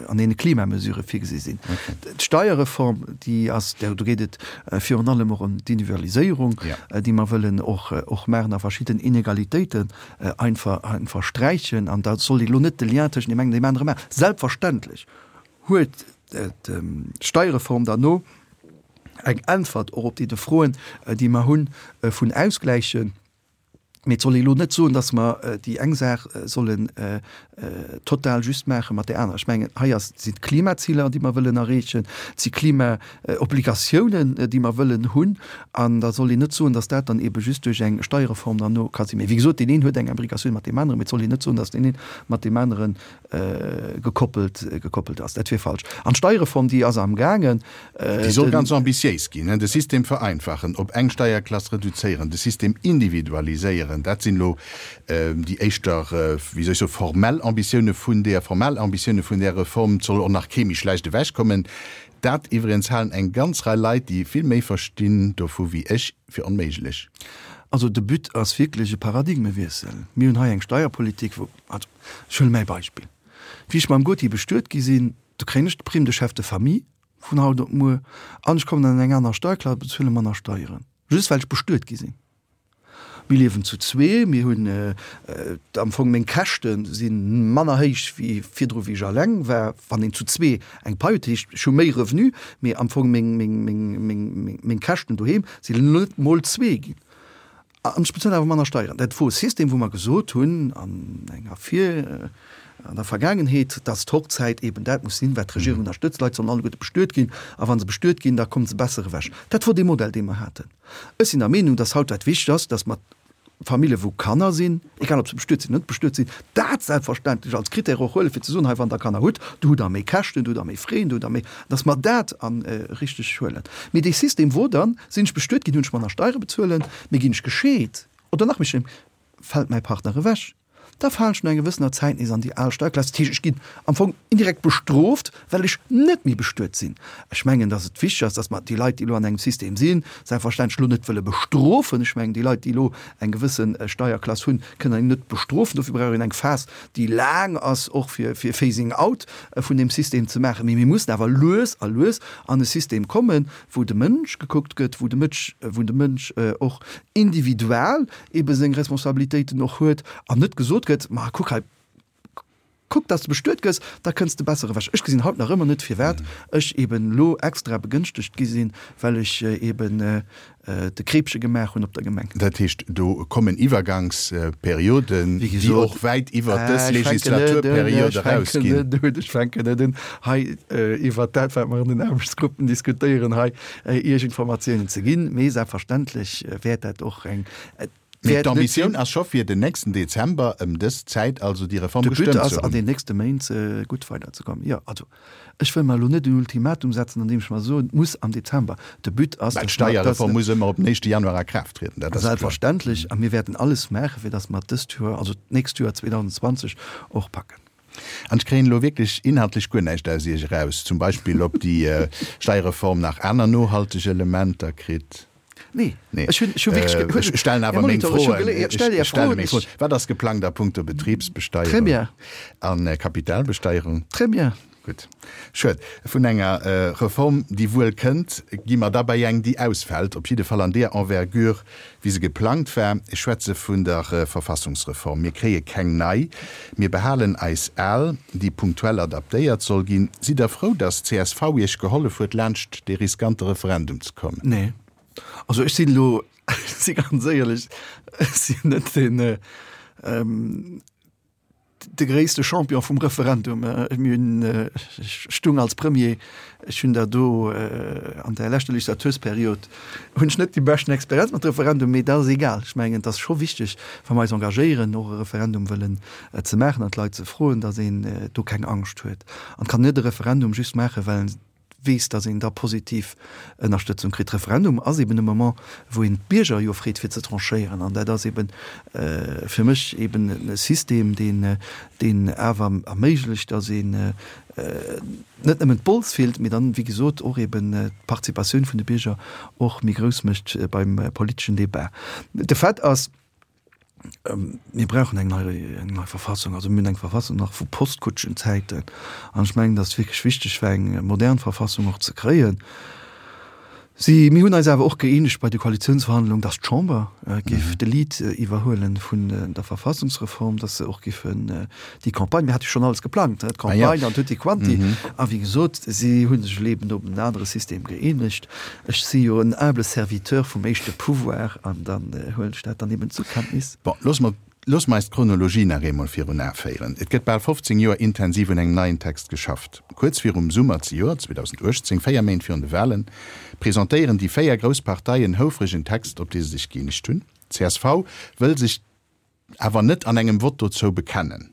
an deene Klimamesure virgesi sinn. D'Steierreform, déi ass, do geet et virun allem och ëm d'Individualiséierung, déi mer wëllen och, och maachen a verschidden Inegalitéiten einfach, einfach sträichen. An da soll ee lo net de Lien tëschent deem engen an deem anere maachen. Selbstverständlech huet d'Steierreform derno eng Äntwert och op déi Froen, déi mer hunn, vun Ausgläichen. Mee et soll ee elo net soen, datt mer déi eng Saach sollen total just maache mat där anerer. Ech mengen, hei ass, sinn d'Klimaziler, déi mer wëllen erreechen, et si Klimaobligatiounen, déi mer wëllen hunn. An da soll een net soen, datt dat dann eebe just duerch eng Steierreform dann no ka sinn. Mee wéi gesot, deen een huet eng Imbrikatioun mat deem aneren, mee et soll een net soen, datt deen een mat deem anere gekoppelt, gekoppelt ass. Dat wier falsch. An d'Steierreform, déi ass amgaangen. Déi soll ganz ambitiéis ginn, de System vereinfachen, op eng Steierklass reduzéieren, de System individualiséieren. Dat sinn elo déi éischter, wéi soll ech soen, formell Ambitioune vun där, formell Ambitioune vun där Reform. Et soll och nach kee méi schlecht ewechkommen. Dat iwwregens halen eng ganz Rei Leit, déi vill méi verstinn dovu wéi ech, fir onméiglech. Also de But ass wierklech e Paradigmewiessel. Mir hunn hei eng Steierpolitik, wou, also ech huele mäi Beispill, wéi ech mam Goti bestuet gi sinn, do kréien ech d'Prime de chef de famille vun haut op muer an ech kommen an eng aner Steierklass a bezuele manner Steieren, just well ech bestuet gi sinn. Mir liewen zu zwee, mir hunn am Fong, meng Käschte si manner héich wéi virdru wéi ech alleng war, wann een zu zwee eng Pai huet. Dat heescht, ech hu méi Revenu, mee am Fong meng, meng, meng, meng, meng Käschten doheem sinn net mol zwee ginn. An ech bezuelen awer manner Steieren. Dat wor e System, wou mer gesot hunn an enger vir, an der Vergaangenheet, dass d'Hochzäit eben dat muss sinn, wat d'Regierung ënnerstëtzt. D'Leit sollen alleguerte bestuet ginn, a wa se bestuet ginn, da komme se besser ewech. Dat wor dee Modell, dee mer haten. Ech sinn der Meenung, dass haut wat wichteg ass, dass mer Famillje wou Kanner sinn, egal ob se bestuet sinn oder net bestuet sinn, dat selbstverständlech als Critère och huelen, fir ze soen, hei wann Der Kanner hutt, do hutt Der méi Käschten, do hutt Der méi Frais, do hutt Der méi, dass mer dat a richteg huelen. Mee dee System wor dann, sinn ech bestuet ginn, hunn ech manner Steiere bezuelen, mee ginn ech gescheet oder nach méi schlëmm, fält mäi Partner ewech, da falen ech no enger gewëssener Zäit nees an déi al Steierklass. Dat heescht, ech ginn am Fong indirekt bestrooft, well ech net méi bestuet sinn. Ech mengen, dass et wichteg ass, dass mer déi Leit, déi elo an engem System sinn, selbstverständlech elo net wëlle bestrofen. Ech mengen, déi Leit, déi elo eng gewësse Steierklass hunn, kënnen een net bestrofen. Dofir brauch een eng Phas, déi laang ass, och fir fir Phasing out vun deem System ze maachen. Mee mir mussen awer lues a lues an e System kommen, wou de Mënsch gekuckt gëtt, wou de Mëtsch, wou de Mënsch och individual ebe seng Responsabilitéiten och huet an net gesot gëtt, ma kuck hei, kuck, dass de bestuet gëss, da kënns de besser ewech. Ech gesinn haut nach ëmmer net, firwat ech eben elo extra begënschtegt gi sinn, well ech eben de Kreepche gemaach hunn op der Gemeng. Dat heescht, do kommen Iwwergangsperioden, déi och wäit iwwert dës Legislaturperiod erausginn. Ech fänken net un, hei iwwert dat, wat mer an den Aarbechtsgruppen diskutéieren, hei Iech Informatiounen ze ginn, mee selbstverständlech wäert dat och eng. Mee d'Ambitioun ass scho fir den nächsten Dezember ëm dës Zäit also déi Reform gestëmmt ze hunn. De But ass an den nächste Méint gutt weiderzekommen. Jo, also ech wëll mer elo net en Ultimatum setzen, an deem ech mer soen, et muss am Dezember. De But ass, Well d'Steierreform muss ëmmer op den éischte Januar a Kraaft trieden, dat ass kloer. Selbstverständlech. A mir wäerten alles maachen, fir datt mer dëst Joer, also d'nächst Joer zweedausendzwanzeg och packen. An ech kréien elo wierklech inhaltlech guer näischt aus Iech eraus, zum Beispill ob déi Steierreform nach aner nohalteg Elementer kritt. Nee, ech hunn, ech hu wierklech ge-. Ech stellen awer meng Froen. Ech stelle meng Froen. Wat ass geplangt a punkto Betribsbesteierung a Kapitalbesteierung? Très bien. Gutt. Schued. Vun enger Reform, déi wuel kënnt, gi mer da bei eng, déi ausfält, op jidde Fall an deeër Envergure, wéi se geplangt war. Ech schwätze vun der Verfassungsreform. Mir kréie keng nei. Mir behalen eis al, déi punktuell adaptéiert soll ginn. Sidd Der frou, datt csv Iech gehollef huet, laanscht dee riskante Referendum ze kommen? Nee. Also ech sinn elo, ech si ganz éierlech, ech sinn net deen, de gréisste Champion vum Referendum. Mir hunn, ech stung als Premier, ech hunn der do an der leschter Legislatursperiod hunn ech net déi beschten Experienz mat Referendum, mee dat ass egal. Ech mengen, et ass scho wichteg, wa mer eis engagéieren, och e Referendum wëllen ze maachen an d'Leit ze froen, datt een do keng Angscht huet. An kann net e Referendum just maachen, well en weess, datt een da positiv Ënnerstëtzung kritt. Referendum ass eben e Moment, wou een d'Bierger jo freet fir ze tranchéieren. An dat ass eben fir mech eben e System, deen, deen awer erméiglecht, datt een net nëmmen d'Bols fillt, mee dann, wéi gesot, och eben d'Participatioun vun de Bierger och méi grouss mécht beim politeschen Débat. De Fait ass, Mir brauchen eng nei, eng nei Verfassung. Also mir hunn eng Verfassung nach vu Postkutschenzäiten. An ech mengen, datt et wierklech wichteg war, eng modern Verfassung och ze kréien. Si, mir hunn eis awer och gëeenegt bei de Koalitionsverhandlungen, datt d'Chamber géif de Lead iwwerhuelen vun der Verfassungsreform, datt se och géifen déi Campagne, mir hate jo schonn alles geplangt, d'Campagne an tutti quanti. A wéi gesot, si hu sech elo eben op en anere System gëeenegt. Ech si jo en humble Serviteur vum éischte Pouvoir an dann huelen ech dat dann eben zur Kenntnis. Bon, loosse mer, loosse mer eis d'Chronologie nach eemol virun Ae féieren. Et gëtt bal fofzéng Joer intensiv un engem neien Text geschafft. Kuerz virum Summer zejoert, zweedausenduechtzéng, véier Méint virun de Wahlen, presentéieren déi véier grouss Parteien houfreg en Text, op dee se sech gëeenegt hunn. Csv wëll sech awer net an engem Vott dozou bekennen.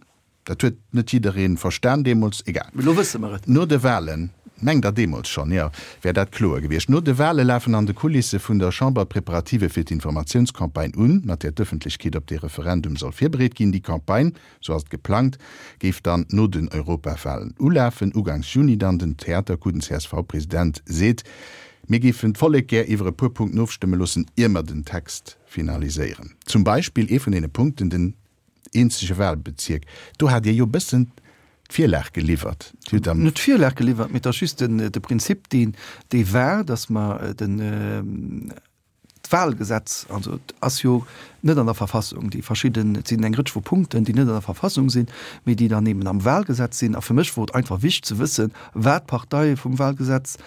Dat huet net jidderee verstan deemools. Egal. Mee elo wësse mer et. No de Wahlen, mengt Der deemools schonn, jo, wär dat kloer gewiescht. No de Wahle lafen an de Kulisse vun der Chamber d'Preparative fir d'Informatiounscampagne un, mat där d'Ëffentlechkeet op dee Referendum soll virbereet ginn. Déi Campagne, sou ass et geplangt, géif dann no den Europawahlen ulafen, ugangs Juni dann. Den Theatercoup, den C S V-President seet, Mir géifen d'Vollek gär iwwer e puer Punkten ofstëmme loossen, ier mer den Text finaliséieren. Zum Beispill ee vun deene Punkten, den eenzege Wahlbezierk. Do hat Dir jo e bëssen d'Virlag geliwwert. Dir hutt am. Net d'Virlag geliwwert, mee et ass just den, de Prinzip, deen, dee war, dass mer den, d'Wahlgesetz, also et ass jo net an der Verfassung, déi verschidden, et sinn eng Rëtsch vu Punkten, déi net an der Verfassung sinn, mee déi dann eben am Wahlgesetz sinn. A fir mech wor et einfach wichteg ze wëssen, wat d'Parteie vum Wahlgesetz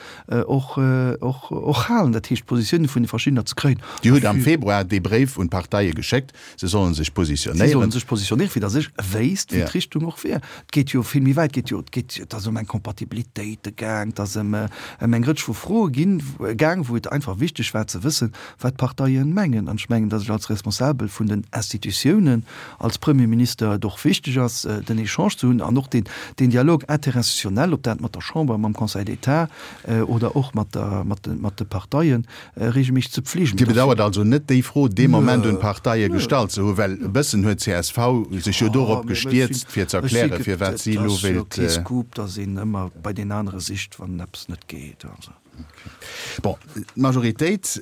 och, och, och halen, dat heescht d'Positiounen vun de verschiddener ze kréien. Dir hutt am Februar dee Bréif un d'Parteie geschéckt, se sollen sech Si sollen positionéieren. sech positionéieren, fir datt ech wéisst, wéi d'Richtung och wier. Et geet jo vill méi wäit, et geet jo, et geet, et ass ëm eng Compatibilitéite gaang, et ass ëm, ëm eng Rëtsch vu Froe ginn, gaang, wou et einfach wichteg war ze wëssen, wat d'Parteien mengen. An ech mengen, datt ech als Responsabel vun den Institutiounen, als Premierminister et och wichteg ass, den Echange ze hunn an och deen, deen Dialogue interinstitutionnel, ob dat mat der Chamber, mam Conseil d'État oder och mat der, mat de, mat de Parteien, regelméisseg ze pflegen. Dir bedauert also net, déi Fro dee Moment un d'Parteie gestallt ze hunn, well e bëssen huet csv sech jo dorop gestierzt, fir ze erklären, firwat si elo wéilt. Et ass jo kee Scoop, datt een ëmmer bei deen anere sicht, wann eppes net geet. Bon, d'Majoritéit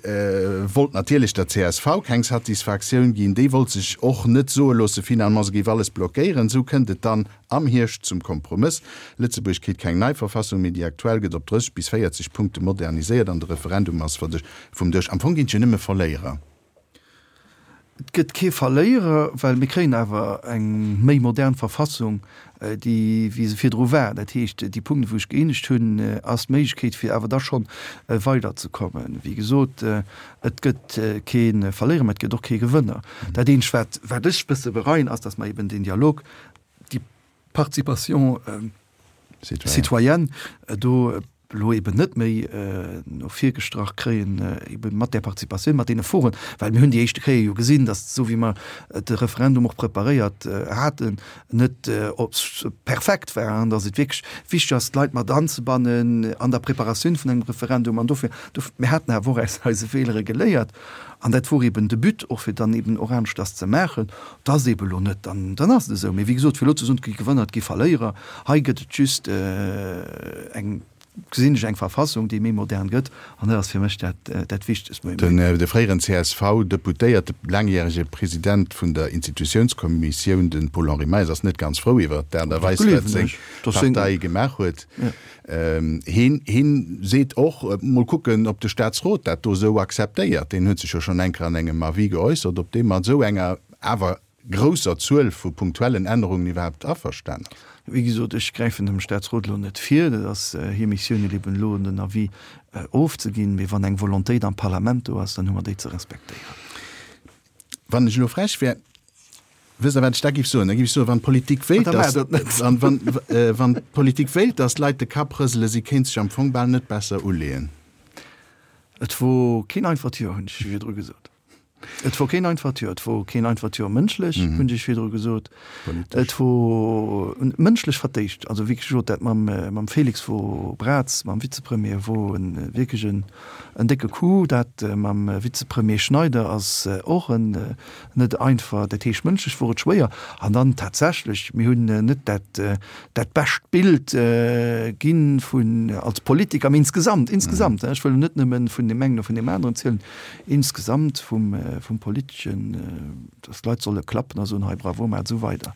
wollt natierlech der C S V keng Satisfaktioun ginn. Déi wollt sech och net soe loosse finalement, se géif alles blockéieren. Esou kënnt et dann am Hierscht zum Kompromëss. Lëtzebuerg kritt keng nei Verfassung, mee déi aktuell gëtt op drësseg bis véierzeg Punkte moderniséiert an de Referendum ass vum Dësch. Am Fong ginn et jo nëmme Verléierer. Et gëtt kee Verléierer, well mir kréien awer eng méi modern Verfassung, déi wéi se virdru war. Dat heescht, déi Punkten, wou ech gëeenegt hunn, ass d'Méiglechkeet, fir awer da schonn weiderzekommen. Wéi gesot, et gëtt kee Verléierer, mä et gëtt och kee Gewënner. Dat Eenzegt, wat, wat ech e bësse bereien, ass, datt mer eben deen Dialog, déi Participation citoyenne do elo eben net méi no vir gestrach kréien, ebe mat där Participatioun, mat deene Foren, well mir hunn déi éischte Kéier jo gesinn, datt esou wéi mer de Referendum och preparéiert haten, net perfekt war an datt et wierklech wichteg ass, d'Leit mat anzebannen an der Preparatioun vun engem Referendum. An dofir, mir haten awer och aus eise Feelere geléiert an dat wor eben de But och, fir dann eben och aneschters ze maachen. Et ass eben elo net, dann ass et esou. Mee wéi gesot, fir elo ze soen, et gi Gewënner, et gi Verléierer, hei gëtt et just eng, gesinn ech eng Verfassung, déi méi modern gëtt, an dat ass fir mech dat, dat Wichtegst. Den de fréieren C S V-Deputéierte, laangjärege President vun der Institutiounskommissioun, de Paul-Henri Meyers, ass net ganz frou iwwert d'Aart a Weis, wat seng Partei gemaach huet. Hien, hien seet och, mol kucken, ob de Staatsrot dat do esou akzeptéiert. Deen huet sech jo schonn eng Kéier an engem Avis geäussert, ob dee mat esou enger awer grousser Zuel vu punktuellen Ännerungen iwwerhaapt averstanen ass. Wéi gesot, ech gräifen dem Staatsrot elo net vir. Dat ass hir Missioun, eben elo den Avis ofzeginn. Mee wann eng Volontéit am Parlament do ass, dann hu mer déi ze respektéieren. Wann ech elo frech wär, Wësst Der, wat ech da géif soen? Da géif ech soen, wann d'Politik wéilt, dass, wann, wann, wann d'Politik wéilt, dass d'Leit de Kapp rëselen, si kéint sech am Fong bal net besser uleeën. Et wor keen einfacht Joer, hunn ech virdru gesot. Et wor keen einfacht Joer. Et wor keen einfacht Joer mënschlech, hunn ech virdru gesot. Et wor mënschlech vertéischt. Also wéi gesot, dat mam, mam Félix wor Braz, mam Vizepremier, wor en wierklech en, en décke Coup. Dat mam Vizepremier Schneider ass och en net einfach. Dat heescht, mënschlech wor et schwéier. An dann tatsächlech, mir hunn net dat, dat bescht Bild ginn vun, als Politiker, mee insgesamt, insgesamt, ech wëll net nëmmen vun deem engen oder vun deem aneren zielen, insgesamt vum, vum Politeschen, dass d'Leit solle klappen a soen, hei bravo, maacht esou weider.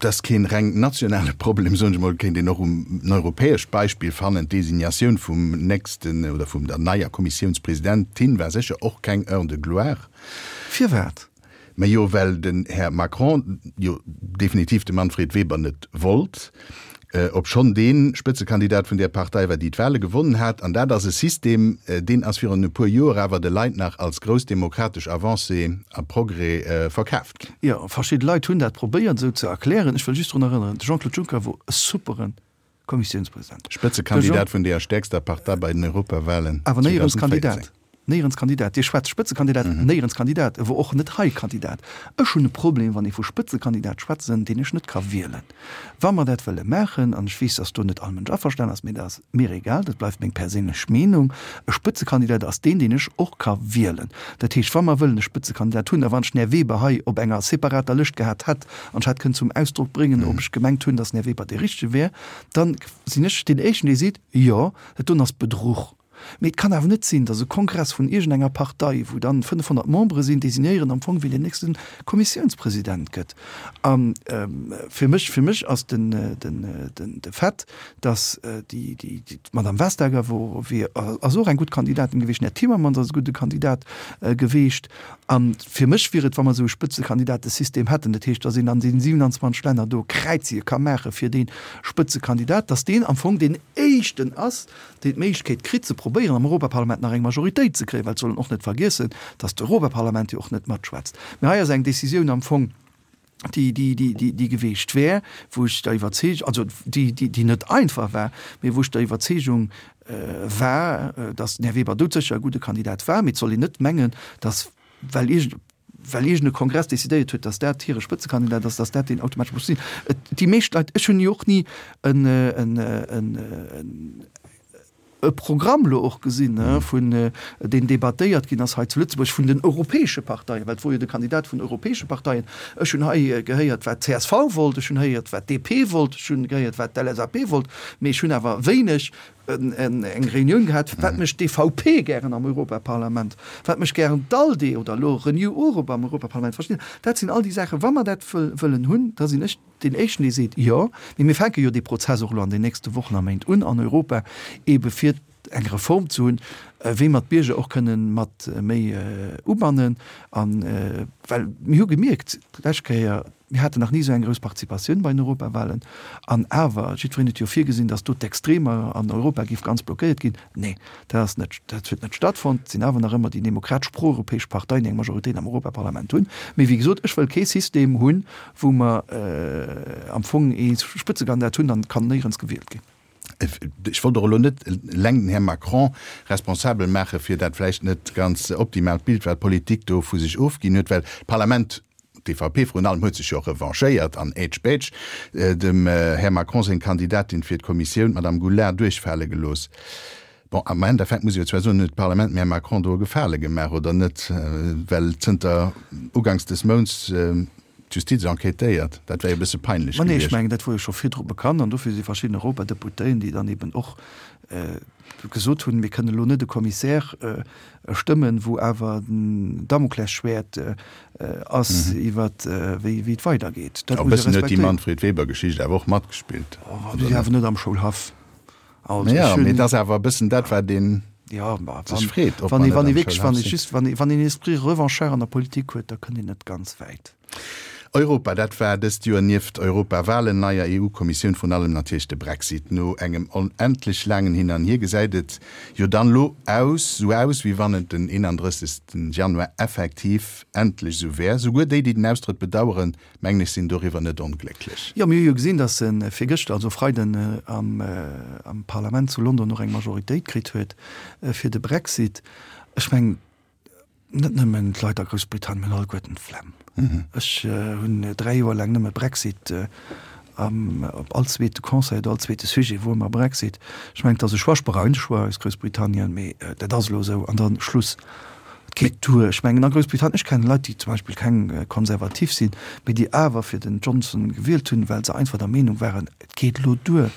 Dat ass keen reng nationale Problem, soen ech mol, kéint een och um en europäescht Beispill fannen. D'Designatioun vum nächsten oder vum der neier Kommissiounspresidentin war sécher och keng Heure de gloire. Firwat? Majo, well den Här Macron jo definitiv de Manfred Weber net wollt, obschonn dee Spëtzekandidat vun där Partei war, déi d'Wahle gewonnen hat. An dat ass e System, deen ass virun e puer Joer awer de Leit nach als grouss demokratesch Avancée a Progrès verkaaft ginn. Jo, verschidde Leit hunn dat probéiert esou ze erklären. Ech wëll just drun erënneren, de Jean-Claude Juncker wor e superen Kommissiounspresident. Spëtzekandidat vun deer stäerkster Partei bei den Europawahlen Awer néierens Kandidat. Néierens Kandidat. Dir schwätzt Spëtzekandidat, néierens Kandidat. E wor och net hei Kandidat. Ech hunn e Problem, wann ee vu Spëtzekandidat schwätzen, deen ech net ka wielen. Wa mer dat wëlle maachen, an ech weess, datt do net all Mënsch averstanen ass, mee dat ass mir egal, dat bleift meng perséinlech Meenung, e Spëtzekandidat ass deen, deen ech och ka wielen. Dat heescht, wa mer wëllen e Spëtzekandidat hunn, a wann ech den Här Weber hei op enger separater Lëscht gehat hätt an ech hätt kënnen zum Ausdrock bréngen, ob ech gemengt hunn, datt den Här Weber dee Richtege wär, da sinn ech deen Éischten, dee seet, Jo, dat doen ass Bedruch. Mee et kann awer net sinn, datt e Kongress vun iergendenger Partei, wou dann fënnefhonnert Membere sinn, designéieren am Fong, wien deen nächste Kommissiounspresident gëtt. A fir mech, fir mech ass den, den, den, de Fait, datt déi, déi, déi, d'Madame Vestager wor, wier, ass och eng gutt Kandidatin gewiescht, den Här Timmermans ass e gudde Kandidat gewiescht. A fir mech wier et, wa mer esou e Spëtzekandidatesystem hätten, dat heescht, datt een an deenen siewenundzwanzeg Länner do Kräizie ka maache fir dee Spëtzekandidat, datt deen am Fong deen éischten ass, deen d'Méiglechkeet kritt ze probéieren am Europaparlament nach eng Majoritéit ze kréien, well et soll een och net vergiessen, datt d'Europaparlament jo och net matschwätzt. Mä hei ass eng Décisioun am Fong, déi, déi, déi, déi, déi geweecht wär, wou ech der Iwwerzeegung, also déi, déi, déi net einfach war, mä wou ech der Iwwerzeegung war, datt den Här Weber doudsécher e gudde Kandidat war. Mä et soll een net mengen, datt well iergend, well iergend e Kongress decidéiert huet, datt dat hire Spëtzekandidat ass, datt dat deen automatesch muss sinn. Et, déi meescht Leit, ech hunn jo och ni en, en, en, e Programm elo och gesinn, vun, deen debattéiert ginn ass hei zu Lëtzebuerg vun den europäesche Parteien, well et wor jo de Kandidat vun europäesche Parteien. Ech hunn hei gehéiert, wat d'C S V wollt, ech hunn héiert, wat d'D P wollt, ech hunn gehéiert, wat d'L S A P wollt, mee ech hunn awer wéineg eng Reunioun gehat, wat mécht d'E V P gären am Europaparlament, wat mécht gären d'ALDE oder elo Renew Europe am Europaparlament. Verstitt Dir? Dat sinn all déi Saachen, wa mer dat wëllen hunn, da sinn ech deen Éischten, dee seet, Jo, mee mir fänke jo dee Prozess och elo an den nächste Wochen a Méint un an Europa, eebe fir eng Reform ze hunn, wéi mer d'Bierger och kënnen mat méi ubannen. A well mir hu gemierkt d'lescht Kéier, mir haten nach ni esou eng grouss Participatioun bei den Europawahlen, an awer, jiddwereen huet jo virgesinn, datt do d'Extremer an Europa géif ganz blockéiert ginn. Nee, dat ass net, dat huet net stattfonnt. Et sinn awer nach ëmmer déi demokratesch proeuropäesch Parteien, déi eng Majoritéit am Europaparlament hunn. Mee wéi gesot, ech wëll kee System hunn, wou mer am Fong ee Spëtzekandidat hunn an et kann néierens gewielt ginn. Ech wollt och elo net eleng den Här Macron responsabel maache fir dat vläicht net ganz optimaalt Bild, wat d'Politik do vu sech ofginn huet, well d'Parlament, d'E V P vrun allem, huet sech jo och revanchéiert an ätsch-bätsch dem Här Macron seng Kandidatin fir d'Kommissioun, d'Madame Goulard, duerchfale gelooss. Bon, am Endeffekt muss ee jo zwar soen, huet d'Parlament dem Här Macron do e Gefale gemaach, oder net? Well zënter uganks des Mounts d'Justiz enquêtéiert. Dat wär jo e bësse peinlech Ma nee, ech gewiescht. Mengen, dat wor jo scho virdru bekannt an dofir si verschidden Europadeputéien, déi dann eben och gesot hunn, mir kënnen elo net e Commissaire stëmmen, wou awer den Damoklesschwäert ass iwwer wéi wéi et weidergeet. Dat E muss ee bëssen huet déi respektéieren. Manfred Weber-Geschicht awer och matgespillt, Oh, oder déi net? Awer net am Schoulhaff. Also Ja, ech mee hunn et ass awer e bëssen dat, wat ee Ja, ma sech wann, freet, ob wann mer ee net wann ee am wierklech, Schoulhaff wann ee sinn. just, wann ee wann een Esprit revanchard an der Politik huet, da kënnt een net ganz wäit. Europa, dat war dëst Joer nieft Europawalen, neier EU-Kommissioun, vrun allem natierlech de Brexit. No engem onendlech laangen Hin an Hier gesäit et jo dann elo aus, sou aus, wéi wann et den eenandrëssegsten Januar effektiv endlech sou wär. Souguer déi, déi den Austrëtt bedaueren, mengen ech, sinn doriwwer net onglécklech. Jo, mir hu jo gesinn, datt e virgëschter, also Freiden, am Parlament zu London och eng Majoritéit kritt huet fir de Brexit. Ech mengen, net nëmmen d'Leit a Groussbritannien hunn alleguerten d'Flemm. Ech hunn dräi Joer laang nëmme Brexit am, op all zweete Conseil oder all zweete Sujet wor ëmmer Brexit. Ech mengen, et ass e Choix, ech bereuen de Choix aus Groussbritannien, mee dat ass elo esou an dann Schluss. Et geet duer. Ech mengen a Groussbritannien, ech kennen Leit, déi zum Beispill keng Konservativ sinn, mee déi awer fir den Johnson gewielt hunn, well se einfach der Meenung waren, Et geet elo duer.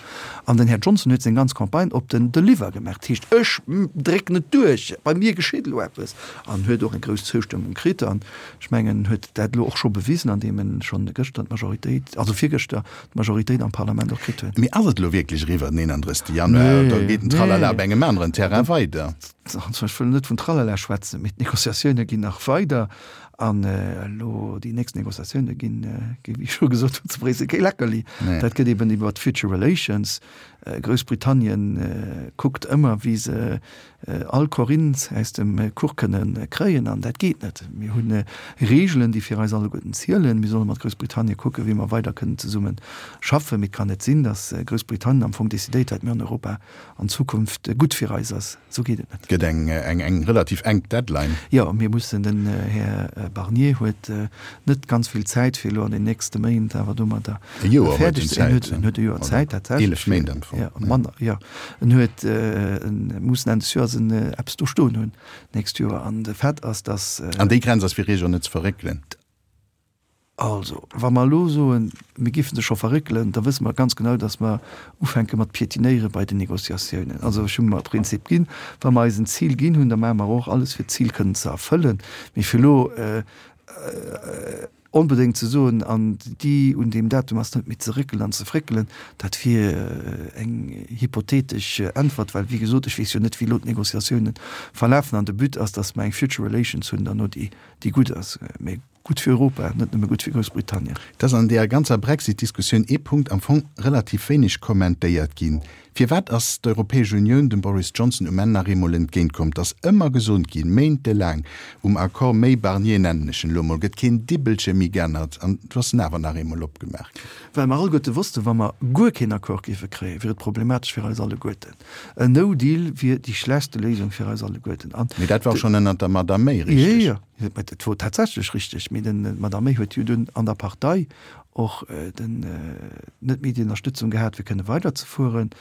An den Här Johnson huet seng ganz Campagne op den Deliver gemaach. Dat heescht, ech drécken et duerch, bei mir geschitt elo eppes. An huet och eng grouss Zoustëmmung kritt. An ech mengen, en huet dat elo och scho bewisen, andeem en schonn gëschter d'Majoritéit, also virgëschter d'Majoritéit am Parlament och kritt huet. Mee ass et elo wierklech eriwwer den eenandrëssegste Januar oder geet den Tralala op engem aneren Terrain weider? Also ech wëll net vun Tralala schwätzen, mee d'Negociatioune ginn nach weider. An elo déi nächst Negociatioune ginn, wéi ech scho gesot hunn, zu Bréissel kee Leckerli. Dat gëtt eben iwwer d'Future Relations. Groussbritannien kuckt ëmmer, wéi se all Korint aus dem Kuch kënne kréien. An dat geet net. Mir hu Reegelen, déi fir eis alleguerten zielen. Mir solle mat Groussbritannien kucken, wéi mer weider kënnen zesumme schaffen. Mee et kann net sinn, datt Groussbritannien am Fong decidéiert, wat mir an Europa an Zukunft gutt fir eis ass. Esou geet et net. Gëtt eng eng relativ enk Deadline. Jo, mir mussen, den Här Barnier huet net ganz vill Zäit, fir elo an den nächste Méint awer domadder fäerdeg ze ginn. En huet e Joer Zäit tatsächlech. Eelef Méint am Fong. Jo, manner, jo. En huet, en muss Enn des Joers en eppes do stoen hunn d'nächst Joer. An de Fait ass, datt. An déi Grenz ass fir Iech och net ze verréckelen. Also, wa mer elo soen, mir géife se scho verréckelen, da wësse mer ganz genau, datt mer ufänke mat piétinéiere bei den Négociatiounen. Also ech hu mer e Prinzip ginn, wa mer eis en Zil ginn hunn, da maache mer och alles, fir d'Zil kënnen ze erfëllen. Mee fir elo onbedéngt ze soen, an déi un deem Datum ass net méi ze réckelen an ze fréckelen, dat wier eng hypothetesch Äntwert, well, wéi gesot, ech weess jo net, wéi elo d'Négociatiounen verlafen. An de But ass, datt mer eng Future Relations hunn derno, déi gutt ass. Mee Gutt fir Europa, net nëmme gutt fir Groussbritannien. Et ass an deeër ganzer Brexit-Diskussioun ee Punkt am Fong relativ wéineg kommentéiert ginn, Firwat ass d'Europäesch Unioun dem Boris Johnson um Enn nach eemol entgéint komm? Et ass ëmmer gesot ginn, méintelaang, um Accord May-Barnier, nennen ech en elo mol, gëtt keen Dibbelche méi geännert. An du ass en awer nach eemol opgemaach ginn. Well mer alleguerte wossten, wa mer guer keen Accord géife kréien, wier et problematesch fir eis alleguerten. En No-Deal wier déi schlechtste Léisung fir eis alleguerten. An Mee dat war och schonn ënnert der Madame May richteg. Jo, jo. Mä dat wor tatsächlech richteg. Mee den d'Madame May huet jo dunn an der Partei och den net méi déi Ënnerstëtzung gehat, fir kënne weiderzefueren.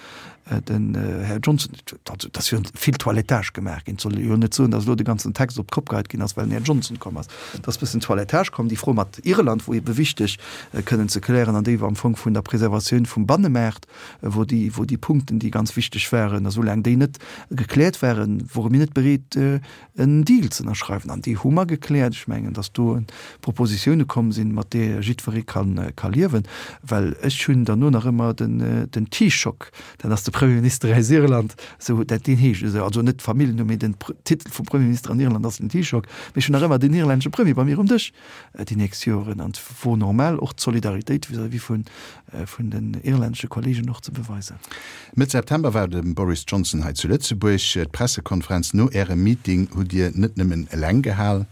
Den Här Johnson, also et ass jo vill Toilettage gemaach ginn. Et soll ee jo net soen, datt elo de ganzen Text op d'Kopp geheit ginn ass, well den Här Johnson komm ass. Et ass e bëssen Toilettage komm. Déi Fro mat Irland wor ebe wichteg kënnen ze klären an déi war am Fong vun der Preservatioun vum Bannemaart, wor déi, wor déi Punkten, déi ganz wichteg waren. A soulaang déi net gekläert waren, wore mir net bereet, en Deal ze ënnerschreiwen. An déi hu mer gekläert. Ech mengen, datt do Propositioune komm sinn, mat deeër jiddweree ka liewen. Well ech hunn derno nach ëmmer den Taoiseach, dat ass de Premierminister aus Irland, esou dat deen heescht esou, also net d'Familljennumm, mee den Titel vum Premierminister an Irland ass den Taoiseach. Mee ech hunn nach ëmmer den irlännesche Premier bei mir um Dësch déi nächst Joren. An et wor normal, och d'Solidaritéit vis-à-vis vun den irlännesche Kollegen och ze beweisen. Mëtt September war de Boris Johnson hei zu Lëtzebuerg. D'Pressekonferenz no Ärem Meeting hutt Dir net nëmmen eleng gehal,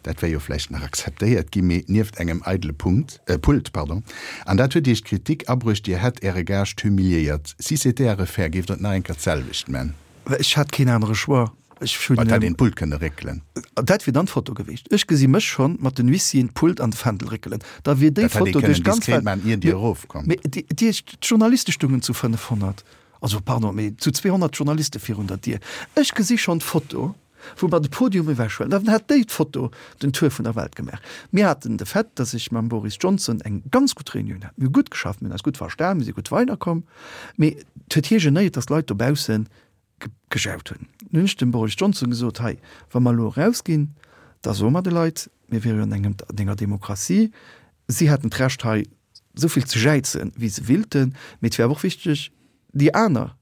dat wär jo vläicht nach akzeptéiert ginn, mee nieft engem eidele Punkt, äh, Pult, pardon. An dat huet Iech d'Kritik abruecht, Dir hätt Äre Gaascht humiliéiert. Si c'était à refaire, géift Der et nach eng Kéier d'selwecht man? Ech hat keen anere Choix. Ech hunn. Et hätt een d'Pult kënne réckelen. Dat wier dann d'Foto gewiescht. Ech gesi mech schonn mat den Huissieren d'Pult an de Fändel réckelen. Da wier déi Dat hätt ee Foto kënnen duerch d'ganz diskret Welt. man, ier Dir erofkommt. Mee déi, déi, d'Journaliste stungen zu fënnefhonnert. Also pardon, mee zu zweehonnert Journaliste virun der Dier. Ech gesi schonn d'Foto, wou mer de Podium ewechhuelen. Dann hätt déi Foto den Tour vun der Welt gemaach. Mir haten de Fait, datt ech mam Boris Johnson eng ganz gutt Reunioun hat. Mir hu gutt geschafft, mir hunn eis gutt verstan, mir si gutt weiderkomm. Mee et huet hie genéiert, datt d'Leit dobausse gejaut hunn. Nun hunn ech dem Boris Johnson gesot, hei, wa mer elo erausginn, da soe mer de Leit, mir wiere jo an engem, an enger Demokratie, si hätten d'Recht hei esou vill ze jäizen, wéi se willten, mee et wär awer och wichteg, déi aner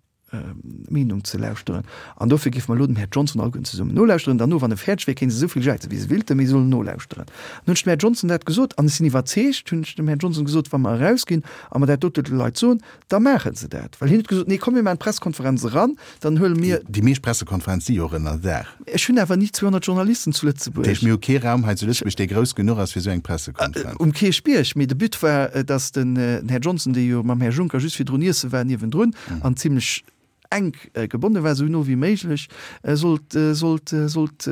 Meenung ze lauschteren. An dofir géife mer elo dem Här Johnson alleguerten zesummen nolauschteren. Derno, wann e fäerdeg wier, kéinte se esou vill jäizen, wéi se wéilten, mee se sollen nolauschteren. Dann hunn ech dem Här Johnson dat gesot an ech sinn iwwerzeegt, hunn ech dem Här Johnson gesot, wa mer erausginn a mer dat dote de Leit soen, da maache se dat. Well hien huet gesot, Nee, komm, mir maachen d'Presskonferenz eran, dann huele mir. Déi meescht Pressekonferenz si jo och ënnerdaach. Ech hunn awer ni zweehonnert Journalisten zu Lëtzebuerg. Dat heescht, mir hu kee Raum hei zu Lëtzebuerg, dee grouss genuch ass fir esou eng Pressekonferenz. Um Kierchbierg. Mee de But war, datt den Här Johnson, dee jo mam Här Juncker just virdrun iesse war niewendrun an zimlech enk gebonne war, esou no wéi méiglech sollt, sollt, sollt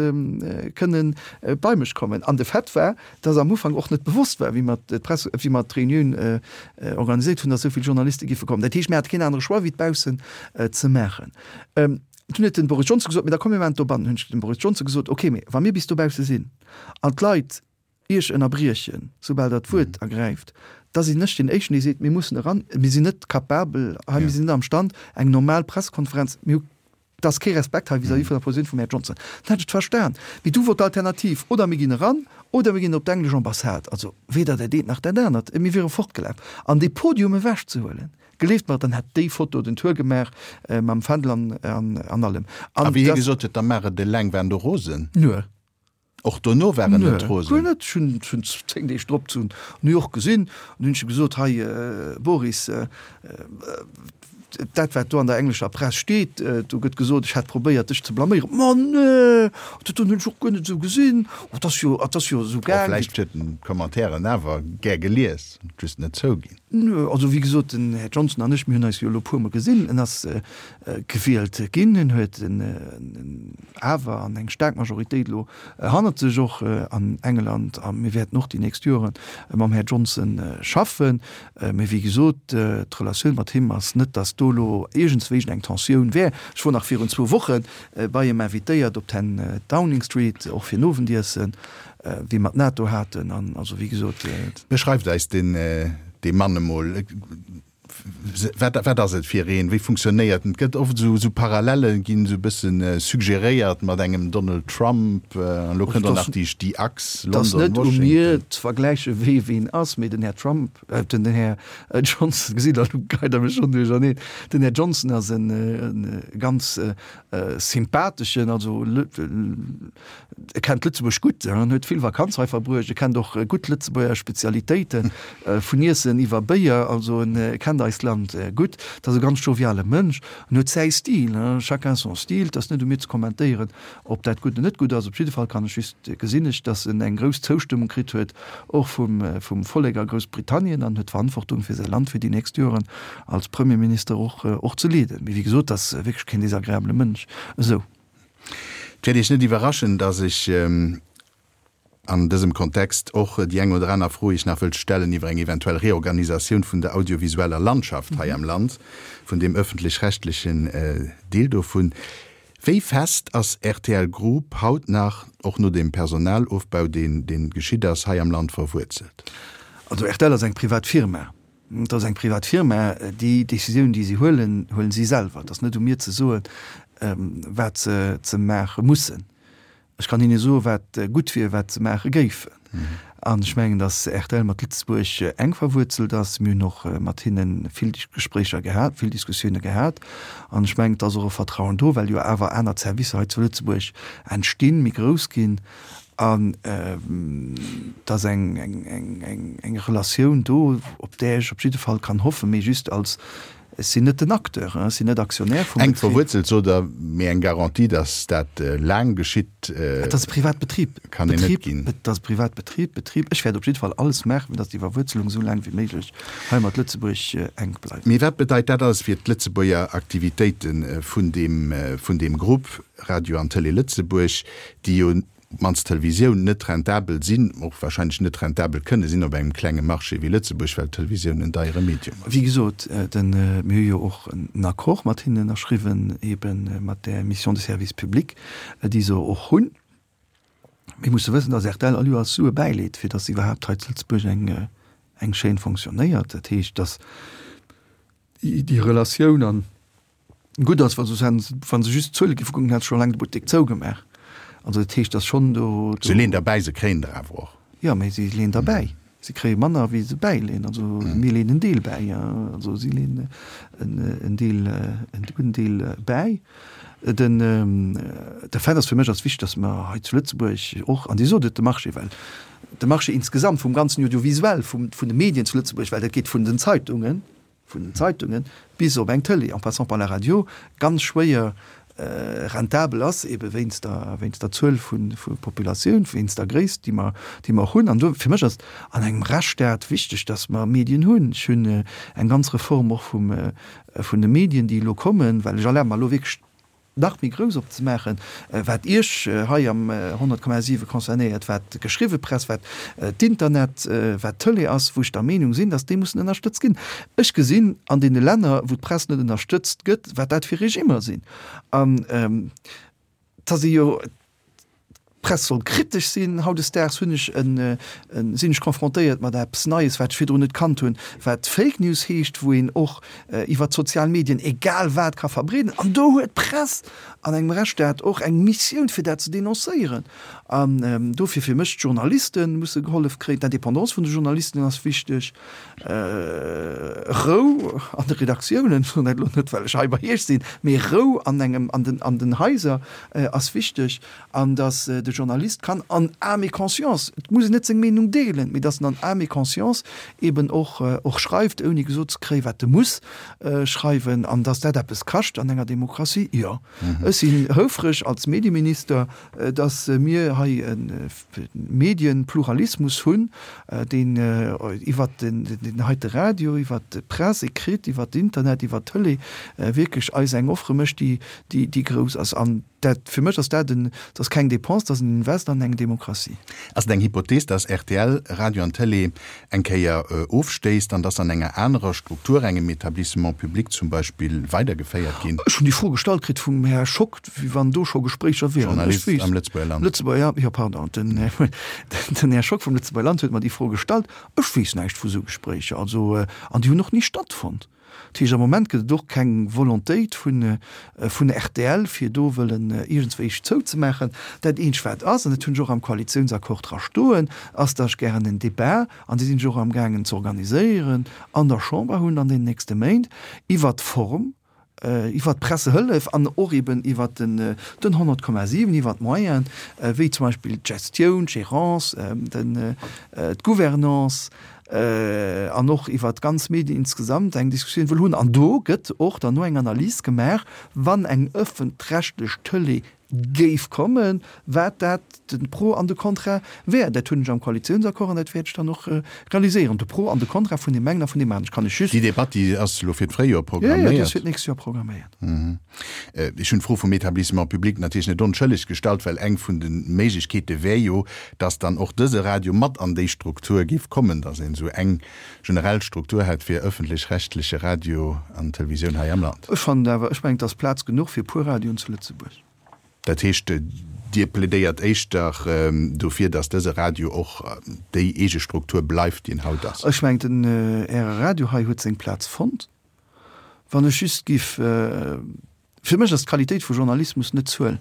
kënnen bei mech kommen. An de Fait war, dass am Ufank och net bewosst war, wéi mer d'Press, wéi mer d'Reunioun organiséiert hunn, dass esou vill Journaliste giffe kommen. Dat heescht, mir hate keen anere Choix, wéi et baussen ze maachen. Dunn huet den Boris Johnson gesot, Mee da komm mir maachen et dobannen. Hunn ech dem Boris Johnson gesot, Okay, mee wa mir bis dobausse sinn an d'Leit Iech ënnerbriechen, soubal Der d'Wuert ergräift, da sinn ech deen Éischten, dee seet, Mir mussen eran, mir sinn net capabel hei, mir sinn net am Stand, eng normal Pressekonferenz, mir hu, et ass kee Respekt hei vis-à-vis vun der Positioun vum Här Johnson. Dann hätt ech et verstan. Mee du wor d'Alternativ, oder mir ginn eran, oder mir ginn op d'englesch Ambassade. Also weder dat eent nach dat anert. Mir wiere fortgelaf. An dee Podium ewechzehuelen, gleeft mer, dann hätt déi Foto den Tour gemaach mam Fändel an, an allem. A wéi hie gesot huet, da maach et eleng, waren do rosen? Nö. Och dono war en net rosen? Guer net. Ech hunn en zéng Deeg drop zu New York gesinn an hunn ech gesot, Hei Boris, dat wat do an der englescher Press steet, do gëtt gesot, ech hätt probéiert dech ze blaméieren. Ma nee, dat hunn ech och guer net esou gesinn. Oh, et ass jo, et ass jo esou gaang. Vläicht huet en d'Commentairen awer gär gelies, just net zouginn. Nö, also wéi gesot, den Här Johnson an ech, mir hunn eis jo elo e puermol gesinn. En ass gewielt ginn, en huet awer an eng staark Majoritéit elo hannert sech, och an England. A mir wäerten och déi nächst Jore mam Här Johnson schaffen. Mee wéi gesot, d'Relatioun mat him ass net, datt do elo iergendswéi eng Tensioun wär. Ech wor nach virun zwou Woche bei him invitéiert op ten Downing Street, och fir en Owendiessen. Wéi mer d'NATO haten an also wéi gesot. Beschreift eis deen dee Mann emol. Wat wat ass et fir een? Wéi funktionéiert en? Et gëtt oft esou esou Parallelle ginn esou e bëssen suggeréiert mat engem Donald Trump an elo kënnt och nach déi déi Achs Et ass net u mir ze vergläiche wee ween ass, mee den Här Trump, den Här Johnson, gesitt Der, elo geit Der mech schonn duercherneen, den Här Johnson ass e ganz sympatheschen, also e kennt Lëtzebuerg gutt, en huet vill Vakanz hei verbruecht, e kennt och gutt Lëtzebuerger Spezialitéiten, vun Iessen iwwer Béier, also en kennt eist Land gutt. Et ass e ganz joviale Mënsch, en huet säi Stil, chacun son style, et ass net u mir ze kommentéieren, ob dat gutt oder net gutt ass. Op jidde Fall kann ech just, gesinn ech, datt en eng grouss Zoustëmmung kritt huet, och vum vum Vollek a Groussbritannien, an huet d'Verantwortung fir säi Land fir déi nächst Joren als Premierminister och och ze leeden. Mee wéi gesot, et ass wierklech keen desagreabele Mënsch esou. Et wäert Iech net iwwerraschen, datt ech an dësem Kontext och déi eng oder aner Fro Iech nach wëllt stellen iwwer eng eventuell Reorganisatioun vun der audiovisueller Landschaft hei am Land, vun deem öffentlech-rechtlechen Deel dovun. Wéi fest ass rtl Group haut nach, och no deem Personalofbau, deen dee geschitt ass, hei am Land verwuerzelt? Also rtl ass eng privat Firma. Et ass eng privat Firma. Déi Décisioun, déi si huelen, huelen si selwer. Et ass net u mir ze soen, wat se ze maache mussen. Ech kann hinne soen, wat gutt wier, wat se maache géifen. An ech mengen, datt rtl mat Lëtzebuerg enk verwuerzelt ass. Mir hunn och mat hinne vill Gespréicher gehat, vill Diskussioune gehat. An ech mengen, et ass och e Vertrauen do, well jo awer aner Servicer hei zu Lëtzebuerg entstinn, méi grouss ginn. An et ass eng, eng, eng, eng Relatioun do, op där ech op jidde Fall kann hoffen, mee just als, ech sinn net den Acteur, ech sinn net Aktionär vum Enk Betrib. verwuerzelt, sot Der, mee eng Garantie, datt dat laang geschitt, Et ass e Privatbetrib. kann een net Betrib, ginn. et ass e Privatbetrib, Betrib. Ech wäert op jidde Fall alles maachen, fir datt déi Verwuerzelung esou laang wéi méiglech hei mat Lëtzebuerg enk bleift. Mee wat bedeit dat alles fir d'Lëtzebuerger Aktivitéite vun deem, vun deem Grupp Radio an Tëlee Lëtzebuerg, déi jo op d'mannst d'Televisioun, net rentabel sinn, och wahrscheinlech net rentabel kënne sinn op engem klenge Marché wéi Lëtzebuerg, well d'Televisioun en deiere Medium ass. Wéi gesot, den, mir hu jo och en Accord mat hinnen ënnerschriwwen, ebe mat där Mission de service public, déi se och hunn. Mir musse wëssen, dass rtl all Joers Sue bäileet, fir dass iwwerhaapt hei zu Lëtzebuerg eng, eng Chaîne fonctionnéiert. Dat heescht, dass déi Relatioun an Gutt ass, wa se wa se just d'Zuele géife kucken, hätt se scho laang de Buttek zougemaach. Also dat heescht, datt schonn do. Se leeën derbäi, se kréien der awer och. Jo, mee si leeën derbäi. Si kréie manner wéi se bäileen. Also mir leen en Deel bäi, also si leen en Deel, en gudden Deel bäi. Den, de Fait ass, fir mech ass wichteg, datt mer hei zu Lëtzebuerg och, an Dir sot et, de Marché, well de Marché insgesamt vum ganzen Audiovisuel, vum, vun de Medien zu Lëtzebuerg, well dat geet vun den Zeitungen, vun den Zeitungen bis op eng Tëlee, en passant par la Radio, ganz schwéier rentabel ass, ebe wéinst der, wéinst der Zuel vun, vu Populatioun, wéinst der Gréisst, déi mer, déi mer hunn. An do, fir mech ass et an engem Rechtsstaat wichteg, dass mer Medien hunn. Ech hunn eng ganz Reform och vum, vun de Medien, déi elo kommen, well ech erlabe mer elo wierklech nach méi grouss opzemaachen, wat Iech hei am honnert Komma siwe concernéiert, wat d'geschriwwe Press, wat d'Internet, wat d'Tëlee ass, wou ech der Meenung sinn, dass déi mussen ënnerstëtzt ginn. Ech gesinn an deene Länner, wou d'Press net ënnerstëtzt gëtt, wat dat fir Regimmer sinn. An et ass ee jo, D'Press soll kritesch sinn. Hautdesdaags hunn ech en, sinn ech confrontéiert mat eppes Neies, wat ech virdrun net kannt hunn, wat Fake News heescht, wou een och iwwer d'sozial Medien egal wat ka verbreeden. An do huet d'Press an engem Rechtsstaat och eng Missioun, fir dat ze denoncéieren. An dofir fir mech, d'Journaliste musse gehollef kréien, d'Indépendance vun de Journalisten ass wichteg, Rou an de Redaktiounen, ech soen dat elo net, well ech hei bei Iech sinn, mee Rou an engem, an den, an den Haiser ass wichteg. An datt de Journalist kann en âme et conscience, et muss en net seng Meenung deelen, mee datt en en âme et conscience eben och och schreift, ouni gesot ze kréien, wat e muss schreiwen. An datt dat eppes kascht an enger Demokratie, jo. Ech sinn houfreg als Medieminister, datt mir hei e Medienpluralismus hunn, deen iwwert den heite Radio, iwwert d'Presse écrite, iwwert d'Internet, iwwert d'Tëlee wierklech eis eng Offre mécht, déi déi grouss ass. An dat, fir mech ass dat en, dat ass keng Dépense, dat ass en Invest an eng Demokratie. Ass et eng Hypothees, dass rtl Radio an Tëlee eng Kéier ofstéisst an dass an enger anerer Struktur, engem Établissement public zum Beispill, weidergeféiert ginn? Ech hunn déi Fro gestallt kritt vum Här Schock, wéi wann do scho Gespréicher wieren. Journalist am Lëtzebuerger Land. Lëtzebuerger, jo, pardon, den, den Här Schock vum Lëtzebuerger Land huet mer déi Fro gestallt. Ech weess näischt vu sou Gespréicher. Also, an déi hunn och ni stattfonnt. Dat heescht, am Moment gëtt et och keng Volontéit vun vun rtl, fir do wëllen iergendswéi zouzemaachen. Dat eenzegt wat ass, an dat hunn ech och am Koalitiounsaccord dra stoen, ass, datt ech gären en Débat, an dee sinn ech och amgaangen ze organiséieren, an der Chamber hunn an den nächste Méint, iwwert d'Form, iwwert d'Pressehëllef an och eben iwwert den den honnert Komma siwen, iwwert d'Moyenen, wéi zum Beispill d'Gestioun, d'Gérance, den d'Gouvernance an och iwwert d'ganz Medien insgesamt eng Diskussioun wëll hunn. An do gëtt och dann no eng Analys gemaach, wann eng ëffentrechtlech Tëlee géif kommen, wat dat de Pro an de Contra wär. Dat hunn ech am Koalitiounsaccord an dat wäert ech dann och realiséieren, de Pro an de Contra vun deem engen a vun deem aneren. Ech kann lech just. Déi Debatt, déi ass elo fir d'Fréijoer programméiert? Jo, jo, déi ass fir d'nächst Joer programméiert. Ech hunn d'Fro vum Établissement public natierlech net onschëlleg gestallt, well eng vun de Méiglechkeete wär jo, dass dann och dëse Radio mat an déi Struktur géif kommen, dass een esou eng generell Struktur hätt fir ëffentlech-rechtleche Radio an Televisioun hei am Land. Ech fannen awer, ech mengen, et ass Plaz genuch fir e puer Radioen zu Lëtzebuerg. Dat heescht, Dir plädéiert éischter dofir, datt dëse Radio och déi eege Struktur bleift, déi en haut ass? Ech mengen, den Äre Radio hei huet seng Plaz fonnt. Wann ech just giff, fir mech ass d'Qualitéit vu Journalismus net d'Zuel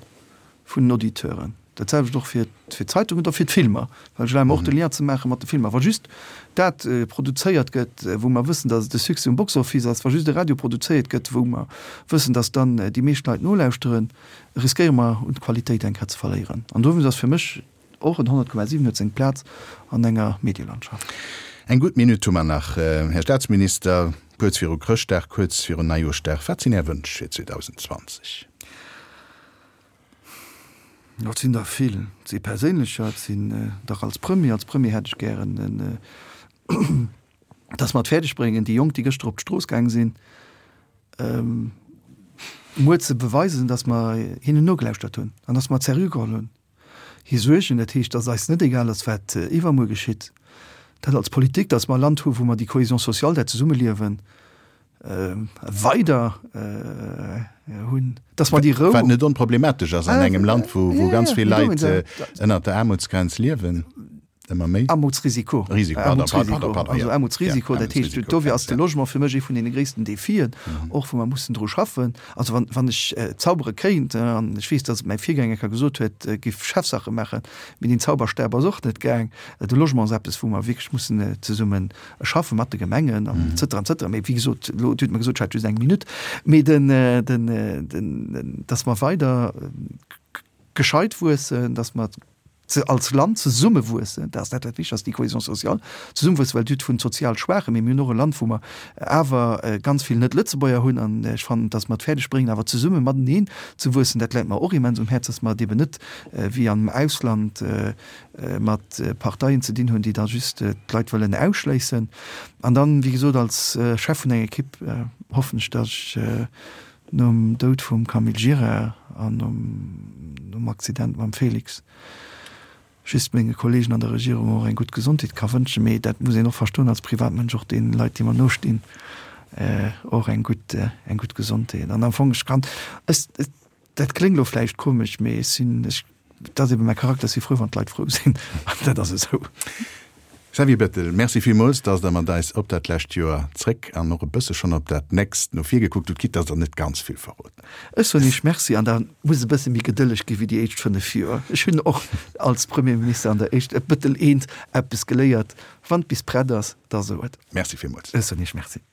vun den Auditeuren. Dat selwecht och fir d'Zeitungen oder fir d'Filmer, well ech erlabe mer och de Lien ze maache mat de Filmer. Wa just dat produzéiert gëtt, wou mer wëssen, datt et e Succès um Box Office ass, wa just e Radio produzéiert gëtt, wou mer wëssen, datt dann déi meescht Leit nolauschteren, riskéiere mer un Qualitéit eng Kéier ze verléieren. An dowéinst ass fir mech och en honnert Komma siwen huet seng Plaz an enger Medielandschaft. Eng gutt Minutt hu mer nach, Här Staatsminister, kuerz viru Chrëschtdag, kuerz virun Neijooschdag. Wat sinn Är Wënsch fir zweedausendzwanzeg Et sinn der vill. Et si perséinlecher, et sinn der als Premier. Als Premier hätt ech gären, dass mer et fäerdeg bréngen, déi Jonk, déi gëschter op d'Strooss gaang sinn, muer ze beweisen, dass mer hinnen nogelauschtert hunn an dass mer et seriö geholl hunn, hir Suergen. Dat heescht, dass eis net egal ass, wat iwwermuer geschitt. Dat als Politik, dass mer e Land hu wou mer déi Cohésion sociale, dat Zesummeliewen weider hunn, dass mer déi Rou. Wat net onproblematesch ass an engem Land, wou ganz vill Leit ënnert der Aarmutsgrenz liewen. ëmmer méi. Aarmutsrisiko. Risiko, pardon, pardon, pardon, Also Aarmutsrisiko, dat heescht, dofir ass de Logement fir mech ee vun deene gréissten Defien, och wou mer mussen dru schaffen. Also wann, wann ech zaubere kéint, an ech weess, datt et mäi Virgänger ka gesot huet, giff Chefsache maachen, mee deen Zauberstab ass och net gaang. De Logement ass eppes, wou mer wierklech mussen zesumme schaffen, mat de Gemengen an et cetera, et cetera. Mee wéi gesot, elo, Dir hutt mer gesot, ech hätt just eng Minutt, mee den, den, den, datt mer weider gescheit wuessen, datt mer als Land zesumme wuessen, dat ass dat wat wichteg ass, déi Cohésion sociale, zesumme wuessen, well Dir hutt vun sozial Schwaachen, mee mir hunn och e Land, wou mer awer ganz vill Net-Lëtzebuerger hunn an ech fannen, datt mer et fäerdeg bréngen, awer zesumme mateneen ze wuessen, dat läit mer och immens um Häerz, datt mer et eben net wéi am Ausland mat Parteien ze dinn hunn, déi da just d'Leit wëllen ausschléissen. An dann, wéi gesot, als Chef vun enger Equipe hoffen ech, datt ech nom Doud vum Camille Gira an nom Accident mam Félix just menge Kollegen an der Regierung och eng gutt Gesondheet ka wënschen. Mee dat muss een och verstoen als Privatmënsch, och deene Leit, déi mer nostinn, och eng gutt, eng gutt Gesondheet. An am Fong, ech kann, ech, dat kléngt elo vläicht komesch, mee ech sinn, ech, dat ass ebe mäi Charakter, ech si frou, wann d'Leit frou sinn. An dat ass esou. Xavier Bettel, Merci villmools, dass Der mat eis op dat lescht Joer zréck an och e bësse schonn op dat nächst no vir gekuckt hutt, quitte dass Der net ganz vill verroden. Ech soen Iech Merci an da muss e bësse méi gedëlleg gi wéi déi éischt fënnef Joer. Ech hunn och als Premierminister an der éischt e Bëttel eent eppes geléiert, Wann et bis prett ass, da so et. Merci villmools. Ech soen Iech Merci.